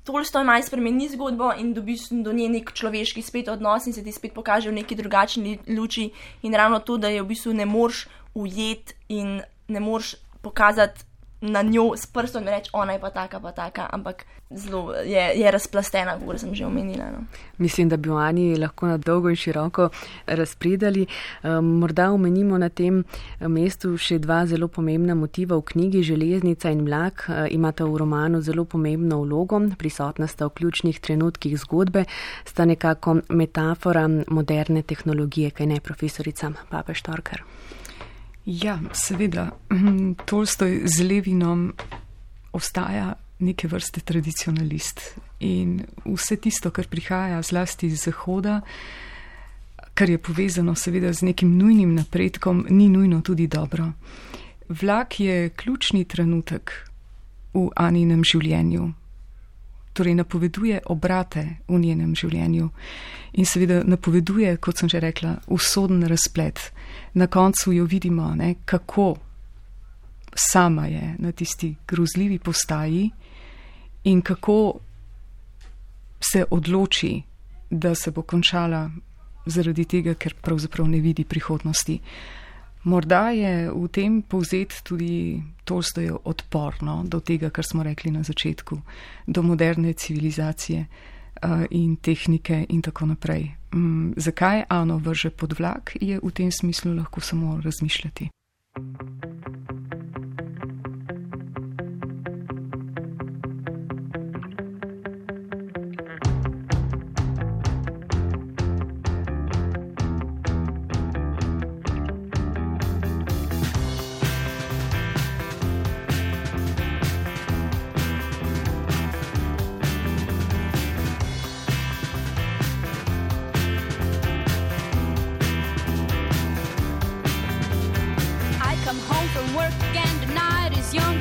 Tolstoj malo spremeni zgodbo in dobiš do nje nek človeški spet odnos in se ti spet pokaže v neki drugačni luči in ravno to, da je v bistvu ne moreš ujeti in ne moreš pokazati na njo s prstom in reči, ona je pa taka, pa taka, ampak zelo je, je razplastena, kot sem že omenila. No. Mislim, da bi o Ani lahko na dolgo in široko razpredali. Morda omenimo na tem mestu še dva zelo pomembna motiva v knjigi. Železnica in vlak imata v romanu zelo pomembno vlogo, prisotna sta v ključnih trenutkih zgodbe, sta nekako metafora moderne tehnologije, kaj ne, profesorica Papež Torkar? Ja, seveda, Tolstoj z Levinom ostaja neke vrste tradicionalist in vse tisto, kar prihaja zlasti iz Zahoda, kar je povezano seveda z nekim nujnim napredkom, ni nujno tudi dobro. Vlak je ključni trenutek v Aninem življenju, torej napoveduje obrate v njenem življenju in seveda napoveduje, kot sem že rekla, usoden razplet. Na koncu jo vidimo, ne, kako sama je na tisti grozljivi postaji in kako se odloči, da se bo končala zaradi tega, ker pravzaprav ne vidi prihodnosti. Morda je v tem povzet tudi Tolstojev odporno do tega, kar smo rekli na začetku, do moderne civilizacije uh, in tehnike in tako naprej. Um, zakaj Ano vrže pod vlak, je v tem smislu lahko samo razmišljati.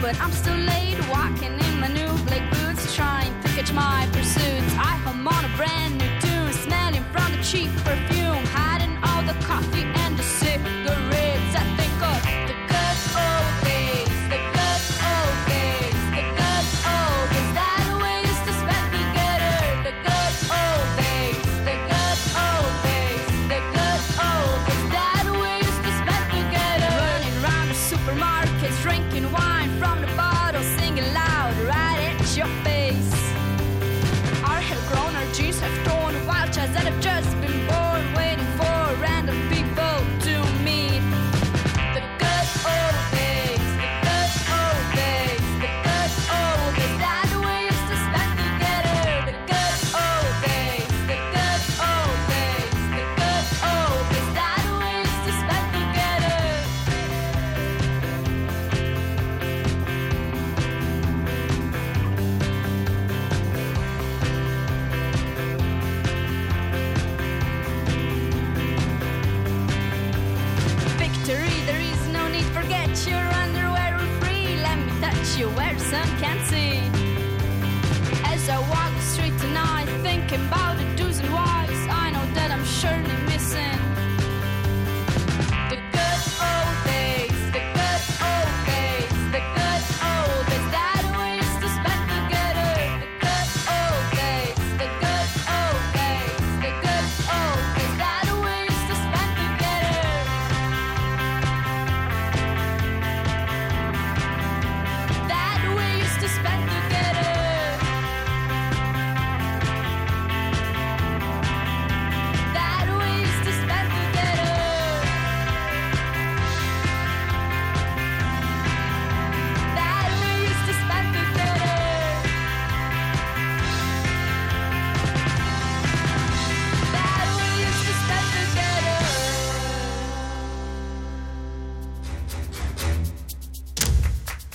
But I'm still late, walking in my new black boots, trying to catch my pursuits. I hum on a brand new tune, smelling from the cheap perfume, hiding all the coffee and the cigarettes. I think of the good old days, the good old days, the good old days that we used to spend together. The good old days, the good old days, the good old days that we used to spend together. Running around the supermarkets, drinking wine from the bottle, singing loud right at your face. Our hair grown, our jeans have torn, wild child that have just been born, waiting for random people to meet. The good old days, the good old days, the good old days that we used to spend together. The good old days, the good old days, the good old days that we used to spend together. There is no need, forget your underwear are free. Let me touch you where some can't see. As I walk the street tonight, thinking about the do's and whys, I know that I'm surely missing the good old days, the good old days, the good old days that we used to spend together. The good old days, the good old days, the good old days that we used to spend together. That we used to spend together.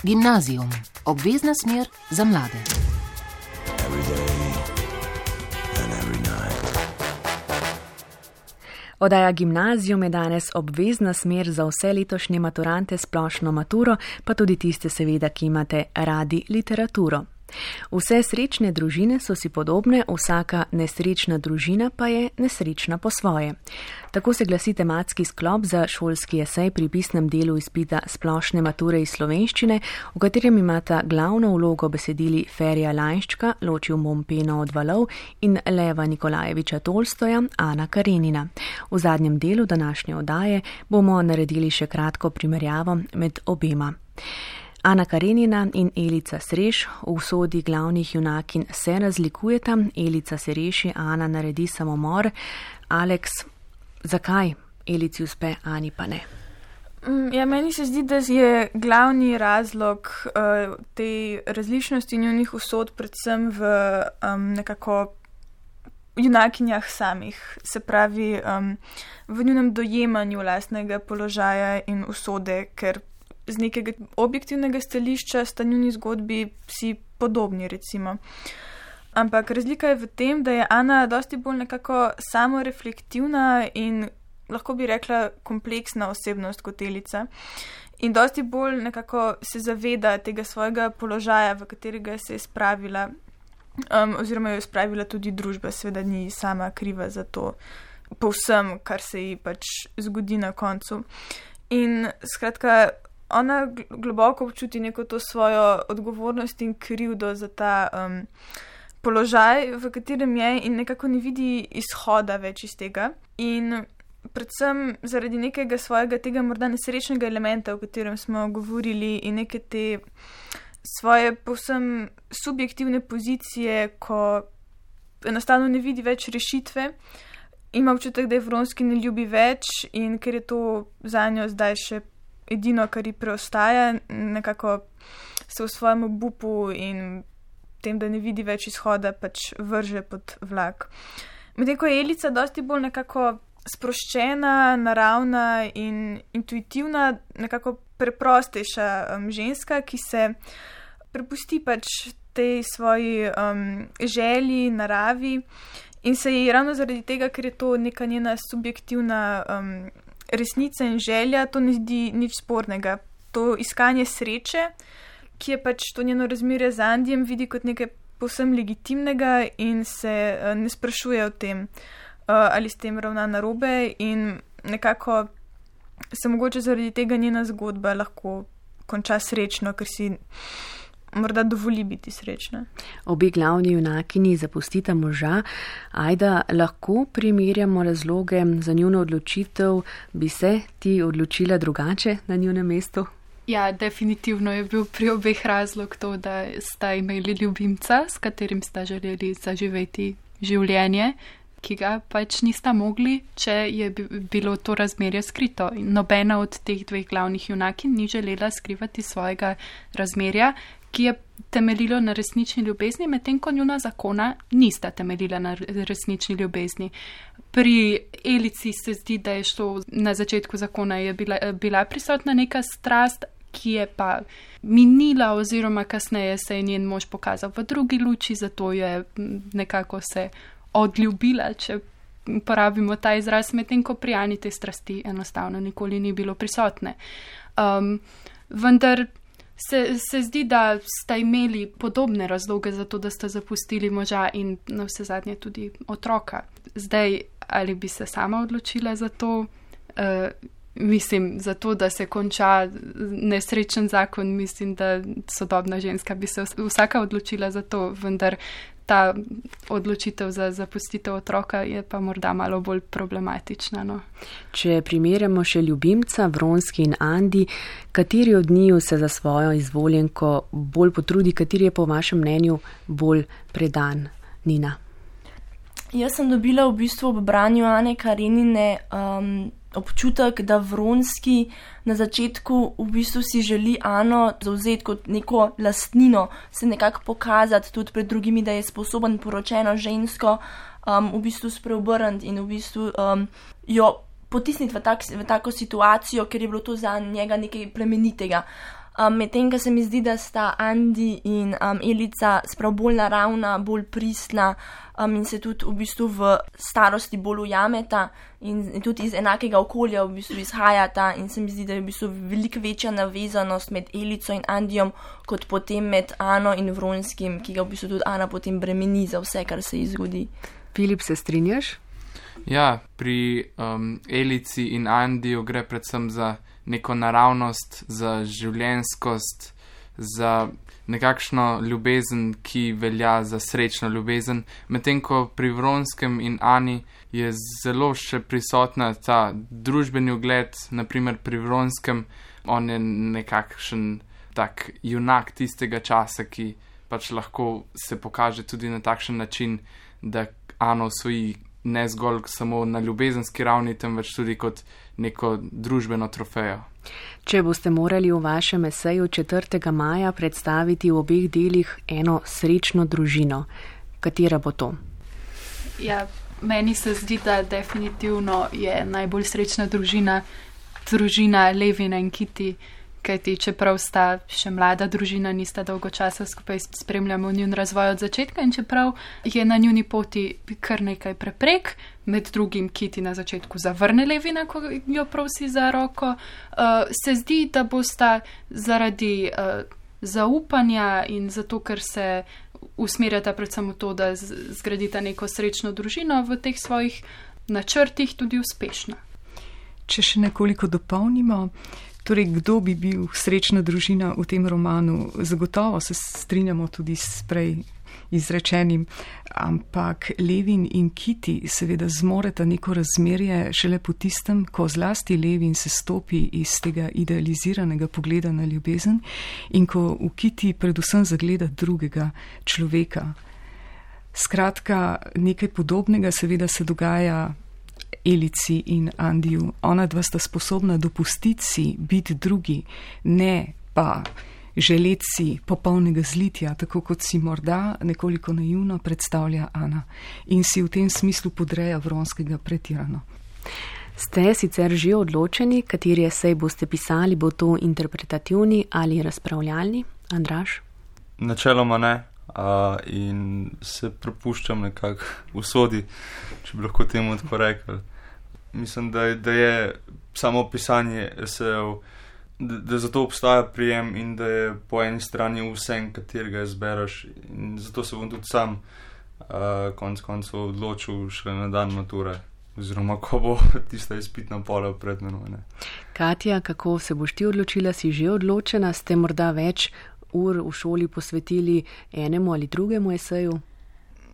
Gimnazijum, obvezna smer za mlade. Oddaja Gimnazijum je danes obvezna smer za vse letošnje maturante splošno maturo, pa tudi tiste seveda, ki imate radi literaturo. Vse srečne družine so si podobne, vsaka nesrečna družina pa je nesrečna po svoje. Tako se glasi tematski sklop za šolski esej pri pisnem delu izpita splošne mature iz slovenščine, v katerem imata glavno vlogo besedili Ferija Lainščka, Ločil bom peno od valov in Leva Nikolajeviča Tolstoja, Ana Karenina. V zadnjem delu današnje oddaje bomo naredili še kratko primerjavo med obema. Ana Karenina in Elica Sreš v usodi glavnih junakinj se razlikujeta. Elica se reši, Ana naredi samomor. Aleks, zakaj Elici uspe, Ani pa ne? Ja, meni se zdi, da je glavni razlog uh, te različnosti njunih usod predvsem v um, nekako junakinjah samih. Se pravi, um, v njunem dojemanju lastnega položaja in usode, ker z nekega objektivnega stališča sta njuni zgodbi vsi podobni, recimo. Ampak razlika je v tem, da je Ana dosti bolj nekako samoreflektivna in lahko bi rekla kompleksna osebnost kot Elica. In dosti bolj nekako se zaveda tega svojega položaja, v katerega se je spravila, um, oziroma jo je spravila tudi družba, seveda ni sama kriva za to povsem, kar se ji pač zgodi na koncu. In skratka, ona globoko občuti neko to svojo odgovornost in krivdo za ta um, položaj, v katerem je, in nekako ne vidi izhoda več iz tega. In predvsem zaradi nekega svojega tega morda nesrečnega elementa, o katerem smo govorili, in neke te svoje povsem subjektivne pozicije, ko enostavno ne vidi več rešitve, ima občutek, da je Vronski ne ljubi več, in ker je to za njo zdaj še edino, kar ji preostaja, nekako se v svojem obupu in tem, da ne vidi več izhoda, pač vrže pod vlak. Medtem ko je Elica dosti bolj nekako sproščena, naravna in intuitivna, nekako preprostejša um, ženska, ki se prepusti pač tej svoji um, želji, naravi, in se ji ravno zaradi tega, ker je to neka njena subjektivna um, resnica in želja, to ne zdi nič spornega. To iskanje sreče, ki je pač to njeno razmerje z Andijem, vidi kot nekaj povsem legitimnega in se uh, ne sprašuje o tem, uh, ali s tem ravna narobe, in nekako se mogoče zaradi tega njena zgodba lahko konča srečno, ker si morda dovoli biti srečna. Obe glavni junakini zapustita moža. Ajda, lahko primerjamo razloge za njuno odločitev? Bi se ti odločila drugače na njunem mestu? Ja, definitivno je bil pri obeh razlog to, da sta imeli ljubimca, s katerim sta želeli zaživeti življenje, ki ga pač nista mogli, če je bilo to razmerje skrito. Nobena od teh dveh glavnih junakin ni želela skrivati svojega razmerja, ki je temeljilo na resnični ljubezni, medtem ko njuna zakona nista temeljila na resnični ljubezni. Pri Elici se zdi, da je šlo na začetku zakona, je bila, bila prisotna neka strast, ki je pa minila, oziroma kasneje se je njen mož pokazal v drugi luči, zato je nekako se odljubila, če uporabimo ta izraz, medtem ko pri Ani te strasti enostavno nikoli ni bilo prisotne. Um, vendar Se, se zdi, da sta imeli podobne razloge za to, da sta zapustili moža in na vse zadnje tudi otroka. Zdaj, ali bi se sama odločila za to? Uh, mislim, za to, da se konča nesrečen zakon, mislim, da sodobna ženska bi se vsaka odločila za to, vendar ta odločitev za zapustitev otroka je pa morda malo bolj problematična. No. Če primerjamo še ljubimca, Vronski in Andi, kateri od njiju se za svojo izvoljenko bolj potrudi, kateri je po vašem mnenju bolj predan? Nina. Jaz sem dobila v bistvu ob branju Ane Karenine um, občutek, da Vronski na začetku v bistvu si želi Ano zauzeti kot neko lastnino, se nekako pokazati tudi pred drugimi, da je sposoben poročeno žensko um, v bistvu spreobrniti in v bistvu um, jo potisniti v, tak, v tako situacijo, ker je bilo to za njega nekaj plemenitega. Um, Medtem, ko se mi zdi, da sta Andi in um, Elica sprav bolj naravna, bolj pristna um, in se tudi v bistvu v starosti bolj ujameta in, in tudi iz enakega okolja v bistvu izhajata in se mi zdi, da je v bistvu veliko večja navezanost med Elico in Andijom kot potem med Ano in Vronskim, ki ga v bistvu tudi Ana potem bremeni za vse, kar se ji zgodi. Filip, se strinjaš? Ja, pri um, Elici in Andiju gre predvsem za neko naravnost, za življenskost, za nekakšno ljubezen, ki velja za srečno ljubezen, medtem ko pri Vronskem in Ani je zelo še prisotna ta družbeni ugled, naprimer pri Vronskem, on je nekakšen tak junak tistega časa, ki pač lahko se pokaže tudi na takšen način, da Ano osvoji ne zgolj samo na ljubezenski ravni, temveč tudi kot neko družbeno trofejo. Če boste morali v vašem eseju četrtega maja predstaviti v obeh delih eno srečno družino, katera bo to? Ja, meni se zdi, da definitivno je najbolj srečna družina družina Levina in Kitty, kajti čeprav sta še mlada družina, nista dolgo časa skupaj, spremljamo njun razvoj od začetka in čeprav je na njuni poti kar nekaj preprek, med drugim Kitty na začetku zavrne Levina, ko jo prosi za roko, uh, se zdi, da bosta zaradi uh, zaupanja in zato, ker se usmerjata predvsem v to, da zgradita neko srečno družino, v teh svojih načrtih tudi uspešna. Če še nekoliko dopolnimo, torej, kdo bi bil srečna družina v tem romanu? Zagotovo se strinjamo tudi s prej izrečenim, ampak Levin in Kitty seveda zmoreta neko razmerje šele po tistem, ko zlasti Levin se stopi iz tega idealiziranega pogleda na ljubezen in ko v Kitty predvsem zagleda drugega človeka. Skratka, nekaj podobnega seveda se dogaja Elici in Andiju. Ona dva sta sposobna dopustiti si biti drugi, ne pa želeti si popolnega zlitja, tako kot si morda nekoliko naivno predstavlja Ana in si v tem smislu podreja Vronskega pretirano. Ste sicer že odločeni, kateri esej boste pisali, bo to interpretativni ali razpravljalni? Andraž? Načeloma ne. Uh, in se prepuščam nekako usodi, če bi lahko temu tako rekel. Mislim, da je, da je samo pisanje esejev, da, da zato obstaja prijem in da je po eni strani vsem, katerega izbereš. In zato se bom tudi sam uh, konc koncev odločil šele na dan mature, oziroma ko bo tista izpitna pola pred menoj. Katja, kako se boš ti odločila? Si že odločena? Ste morda več ur v šoli posvetili enemu ali drugemu eseju?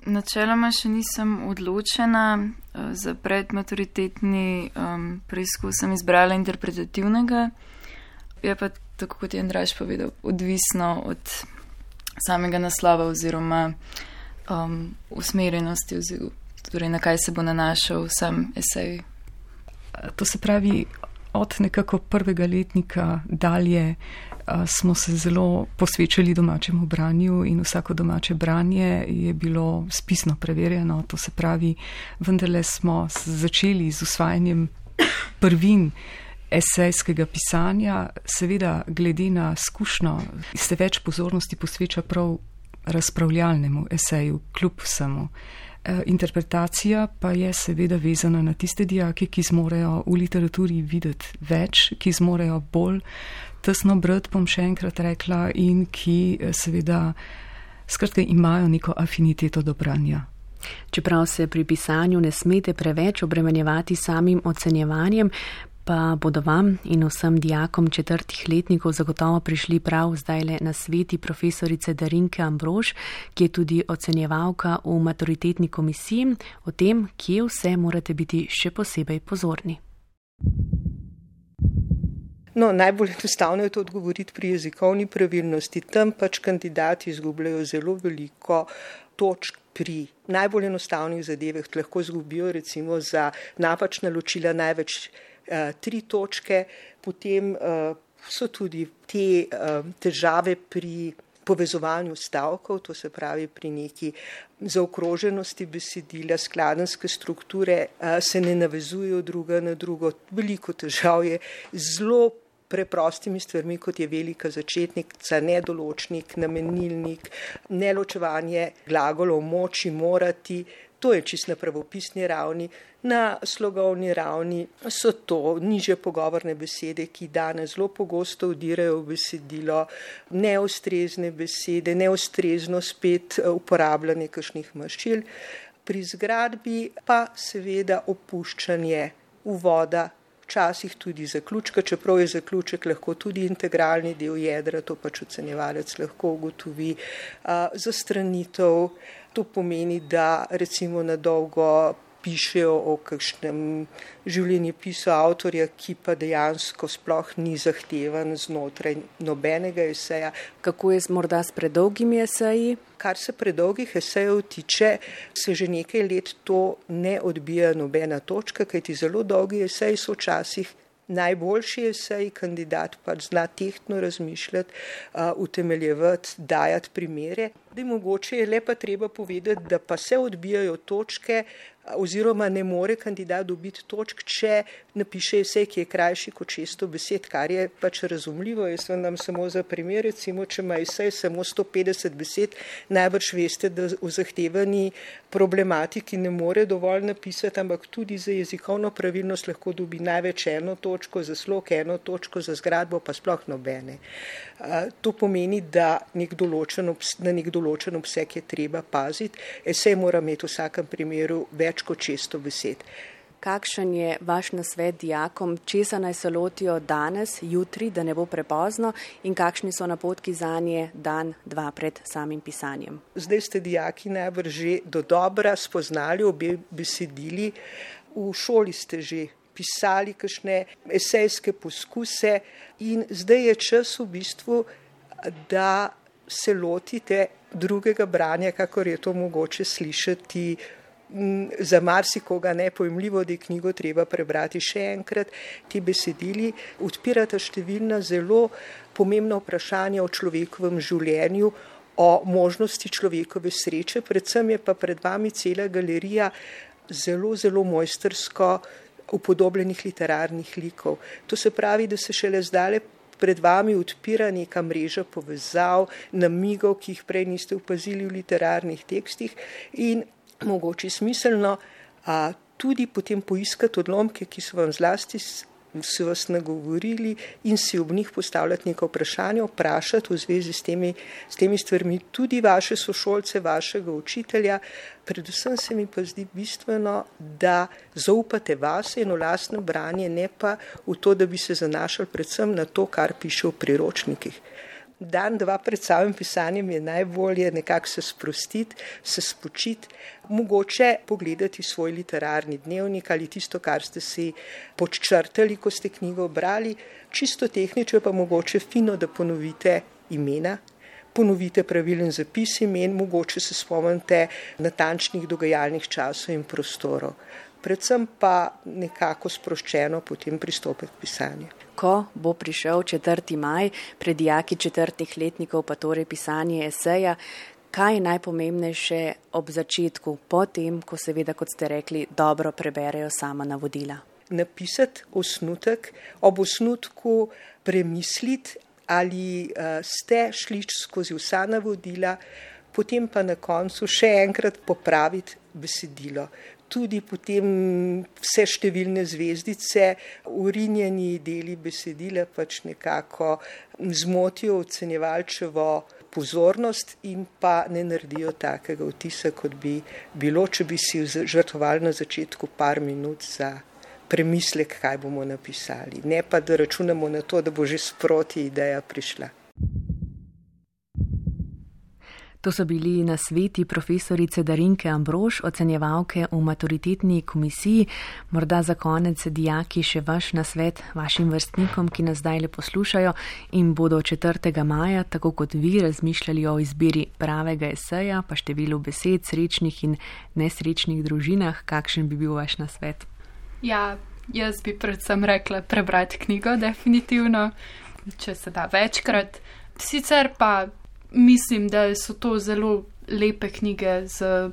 Načeloma še nisem odločena. Za predmaturitetni um, preizkus sem izbrala interpretativnega. Je pa, tako kot je Andraž povedal, odvisno od samega naslova oziroma um, usmerjenosti, oziroma torej na kaj se bo nanašal sam esej. To se pravi, od nekako prvega letnika dalje smo se zelo posvečali domačemu branju in vsako domače branje je bilo spisno preverjeno. To se pravi, vendarle smo začeli z usvajanjem prvin esejskega pisanja, seveda glede na izkušnjo se več pozornosti posveča prav razpravljalnemu eseju, kljub vsemu. Interpretacija pa je seveda vezana na tiste dijake, ki zmorejo v literaturi videti več, ki zmorejo bolj tesno brati, bom še enkrat rekla, in ki seveda skratka imajo neko afiniteto do branja. Čeprav se pri pisanju ne smete preveč obremenjevati samim ocenjevanjem, pa bodo vam in vsem dijakom četrtih letnikov zagotovo prišli prav zdajle na sveti profesorice Darinke Ambrož, ki je tudi ocenjevalka v maturitetni komisiji, o tem, kje vse morate biti še posebej pozorni. No, najbolj enostavno je to odgovoriti pri jezikovni pravilnosti. Tam pač kandidati izgubljajo zelo veliko točk pri najbolj enostavnih zadevah. Lahko izgubijo recimo za napačna ločila največ uh, tri točke. Potem uh, so tudi te uh, težave pri povezovanju stavkov, to se pravi pri neki zaokroženosti besedila, skladenske strukture uh, se ne navezujejo druga na drugo. Veliko težav je, zelo preprostimi stvarmi, kot je velika začetnica, nedoločnik, namenilnik, neločevanje glagolov moči, morati. To je čisto na pravopisni ravni. Na slogovni ravni so to nižje pogovorne besede, ki danes zelo pogosto vdirajo v besedilo, neustrezne besede, neustrezno spet uporabljanje kakšnih maščil. Pri zgradbi pa seveda opuščanje uvoda, včasih tudi zaključka, čeprav je zaključek lahko tudi integralni del jedra, to pač ocenjevalec lahko ugotovi. Zastranitev, to pomeni, da recimo na dolgo pišejo o kakšnem življenjepisu avtorja, ki pa dejansko sploh ni zahtevan znotraj nobenega eseja. Kako je morda s predolgimi eseji? Kar se predolgih esejev tiče, se že nekaj let to ne odbija nobena točka, kajti zelo dolgi eseji so včasih najboljši esej, kandidat pa zna tehtno razmišljati, utemeljevati, dajati primere. Da je mogoče je le pa treba povedati, da pa se odbijajo točke oziroma ne more kandidat dobiti točk, če napiše esej, ki je krajši kot šeststo besed, kar je pač razumljivo. Jaz vam dam samo za primer, recimo, če ima esej samo sto petdeset besed, najbrž veste, da v zahtevani problematiki ne more dovolj napisati, ampak tudi za jezikovno pravilnost lahko dobi največ eno točko, za slog eno točko, za zgradbo pa sploh nobene. To pomeni, da nek določen, na nek določen obseg je treba paziti. Esej mora imeti v vsakem primeru več kot šeststo besed. Kakšen je vaš nasvet dijakom, česa naj se lotijo danes, jutri, da ne bo prepozno, in kakšni so napotki zanje dan, dva pred samim pisanjem? Zdaj ste dijaki najbrž že dodobra spoznali obe besedili. V šoli ste že pisali kakšne esejske poskuse in zdaj je čas v bistvu, da se lotite drugega branja, kakor je to mogoče slišati za marsikoga nepojmljivo, da je knjigo treba prebrati še enkrat. Ti besedili odpirata številna zelo pomembna vprašanja o človekovem življenju, o možnosti človekove sreče, predvsem je pa pred vami cela galerija zelo, zelo mojstrsko upodobljenih literarnih likov. To se pravi, da se šele zdale pred vami odpira neka mreža povezav, namigov, ki jih prej niste opazili v literarnih tekstih in mogoče smiselno a, tudi potem poiskati odlomke, ki so vam zlasti so vas nagovorili in si ob njih postavljati neko vprašanje, vprašati v zvezi s temi, s temi stvarmi tudi vaše sošolce, vašega učitelja. Predvsem se mi pa zdi bistveno, da zaupate vase in v lastno branje, ne pa v to, da bi se zanašali predvsem na to, kar piše v priročnikih. Dan, dva pred samim pisanjem je najbolje nekako se sprostiti, se spočiti, mogoče pogledati svoj literarni dnevnik ali tisto, kar ste si podčrtali, ko ste knjigo brali. Čisto tehnično pa mogoče fino, da ponovite imena, ponovite pravilen zapis imen, mogoče se spomnite natančnih dogajalnih časov in prostorov. Predvsem pa nekako sproščeno potem pristopiti k pisanju. Ko bo prišel četrti maj, pred dijaki četrtih letnikov pa torej pisanje eseja, kaj je najpomembnejše ob začetku, potem, ko seveda, kot ste rekli, dobro preberejo sama navodila? Napisati osnutek, ob osnutku premisliti, ali uh, ste šli skozi vsa navodila, potem pa na koncu še enkrat popraviti besedilo. Tudi potem vse številne zvezdice, urinjeni deli besedila pač nekako zmotijo ocenjevalčevo pozornost in pa ne naredijo takega vtisa, kot bi bilo, če bi si žrtvovali na začetku par minut za premislek, kaj bomo napisali. Ne pa, da računamo na to, da bo že sproti ideja prišla. To so bili nasveti profesorice Darinke Ambrož, ocenjevalke v maturitetni komisiji. Morda za konec dijaki še vaš nasvet vašim vrstnikom, ki nas zdaj le poslušajo in bodo četrtega maja, tako kot vi, razmišljali o izbiri pravega eseja, pa številu besed, srečnih in nesrečnih družinah. Kakšen bi bil vaš nasvet? Ja, jaz bi predvsem rekla prebrati knjigo, definitivno, če se da večkrat. Sicer pa mislim, da so to zelo lepe knjige z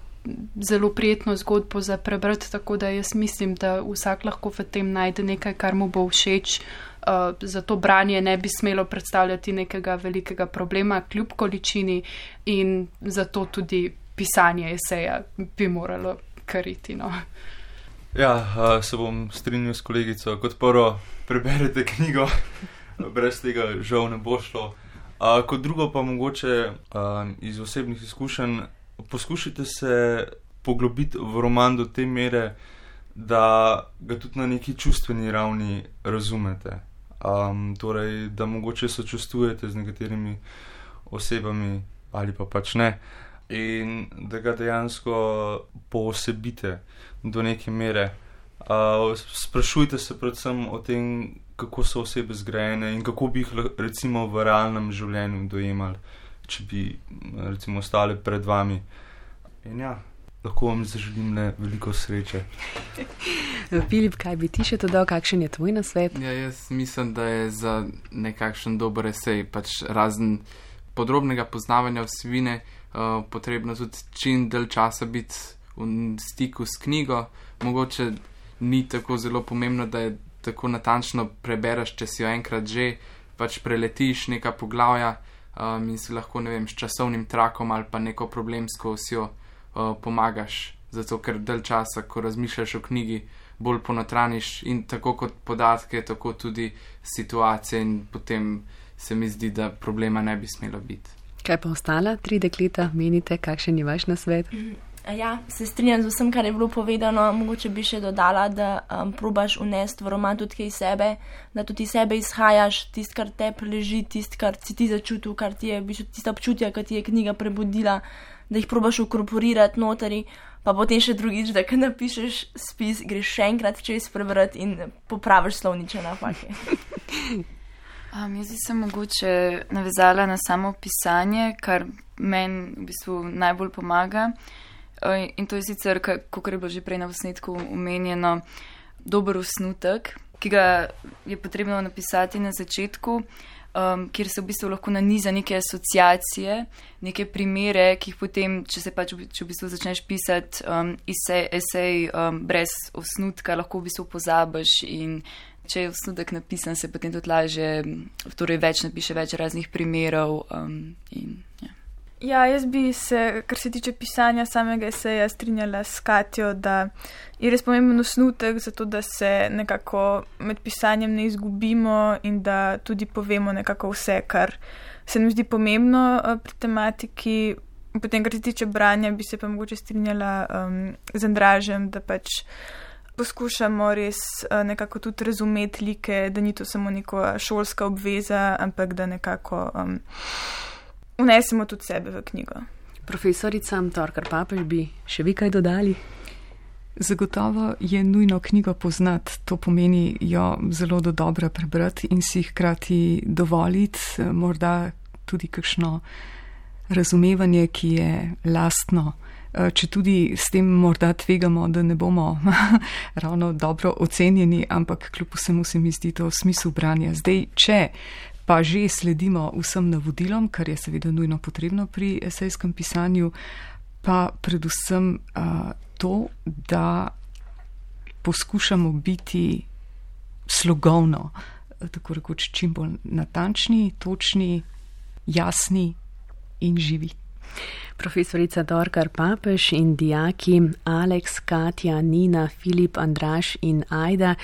zelo prijetno zgodbo za prebrati, tako da jaz mislim, da vsak lahko v tem najde nekaj, kar mu bo všeč. Uh, zato branje ne bi smelo predstavljati nekega velikega problema kljub količini in zato tudi pisanje eseja bi moralo kariti. No. Ja, uh, se bom strinjal s kolegico. Kot prvo, preberete knjigo, brez tega žal ne bo šlo. Uh, kot drugo pa mogoče uh, iz osebnih izkušenj poskušajte se poglobiti v roman do te mere, da ga tudi na neki čustveni ravni razumete. Um, torej, da mogoče sočustvujete z nekaterimi osebami ali pa pač ne. In da ga dejansko poosebite do neke mere. Uh, sprašujte se predvsem o tem, kako so osebe zgrajene in kako bi jih recimo v realnem življenju dojemali, če bi recimo ostale pred vami. In ja, lahko vam zaželim le veliko sreče. Filip, kaj bi ti še dodal, kakšen je tvoj nasvet? Ja, jaz mislim, da je za nekakšen dober esej, pač razen podrobnega poznavanja vsebine, uh, potrebno tudi čim dalj časa biti v stiku s knjigo. Mogoče ni tako zelo pomembno, da je tako natančno prebereš, če si jo enkrat že, pač preletiš neka poglavja um, in si lahko, ne vem, s časovnim trakom ali pa neko problemsko osjo uh, pomagaš. Zato, ker dalj časa, ko razmišljaš o knjigi, bolj ponotraniš in tako kot podatke, tako tudi situacije in potem se mi zdi, da problema ne bi smelo biti. Kaj pa ostala tri dekleta, menite, kakšen je vaš nasvet? Ja, se strinjam z vsem, kar je bilo povedano. Mogoče bi še dodala, da um, probaš unesti v roman tudi kaj sebe, da tudi sebe izhajaš, tist, kar te leži, tist, kar si ti začutil, kar ti je, tista občutja, kar ti je knjiga prebudila, da jih probaš ukorporirati notri, pa potem še drugič, da kad napišeš spis, greš še enkrat čez prebrati in popraviš slovniče napake. Um, jaz bi se mogoče navezala na samo pisanje, kar meni v bistvu najbolj pomaga. Uh, in to je sicer, kot je bilo že prej na posnetku omenjeno, dober osnutek, ki ga je potrebno napisati na začetku, um, kjer se v bistvu lahko naniza neke asociacije, neke primere, ki jih potem, če se pač če v bistvu začneš pisati um, esej, esej um, brez osnutka, lahko v bistvu pozabiš in če je osnutek napisan, se potem tudi laže, torej več napiše več raznih primerov um, in ja. Ja, jaz bi se, kar se tiče pisanja samega eseja, strinjala s Katjo, da je res pomemben osnutek, zato da se nekako med pisanjem ne izgubimo in da tudi povemo nekako vse, kar se nam zdi pomembno pri tematiki. Potem, kar se tiče branja, bi se pa mogoče strinjala um, z Andražem, da pač poskušamo res uh, nekako tudi razumeti like, da ni to samo neka šolska obveza, ampak da nekako um, vnesemo tudi sebe v knjigo. Profesorica Torkar Papež, bi še vi kaj dodali? Zagotovo je nujno knjigo poznati, to pomeni jo zelo do dobra prebrati in si hkrati dovoliti morda tudi kakšno razumevanje, ki je lastno, če tudi s tem morda tvegamo, da ne bomo ravno dobro ocenjeni, ampak kljub vsemu se mi zdi to smisel branja. Zdaj, če pa že sledimo vsem navodilom, kar je seveda nujno potrebno pri esejskem pisanju, pa predvsem uh, to, da poskušamo biti slogovno, tako rekoč čim bolj natančni, točni, jasni in živi. Profesorica Torkar Papež in dijaki Aleks, Katja, Nina, Filip, Andraž in Ajda,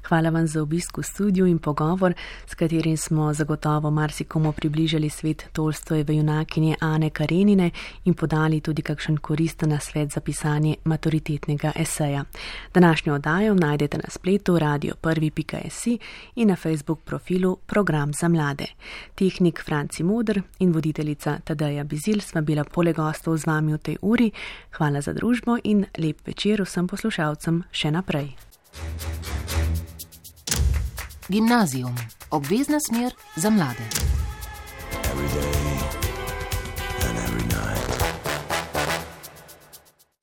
hvala vam za obisk v studiu in pogovor, s katerim smo zagotovo marsikomu približali svet Tolstojeve junakinje Ane Karenine in podali tudi kakšen koristen nasvet za pisanje maturitetnega eseja. Današnjo oddajo najdete na spletu radio prvi pika si in na Facebook profilu Program za mlade. Tehnik Franci Moder in voditeljica Tadeja Bizil sva bila poleg gostov z vami v tej uri. Hvala za družbo in lep večer vsem poslušalcem še naprej. Gimnazijum. Obvezna smer za mlade.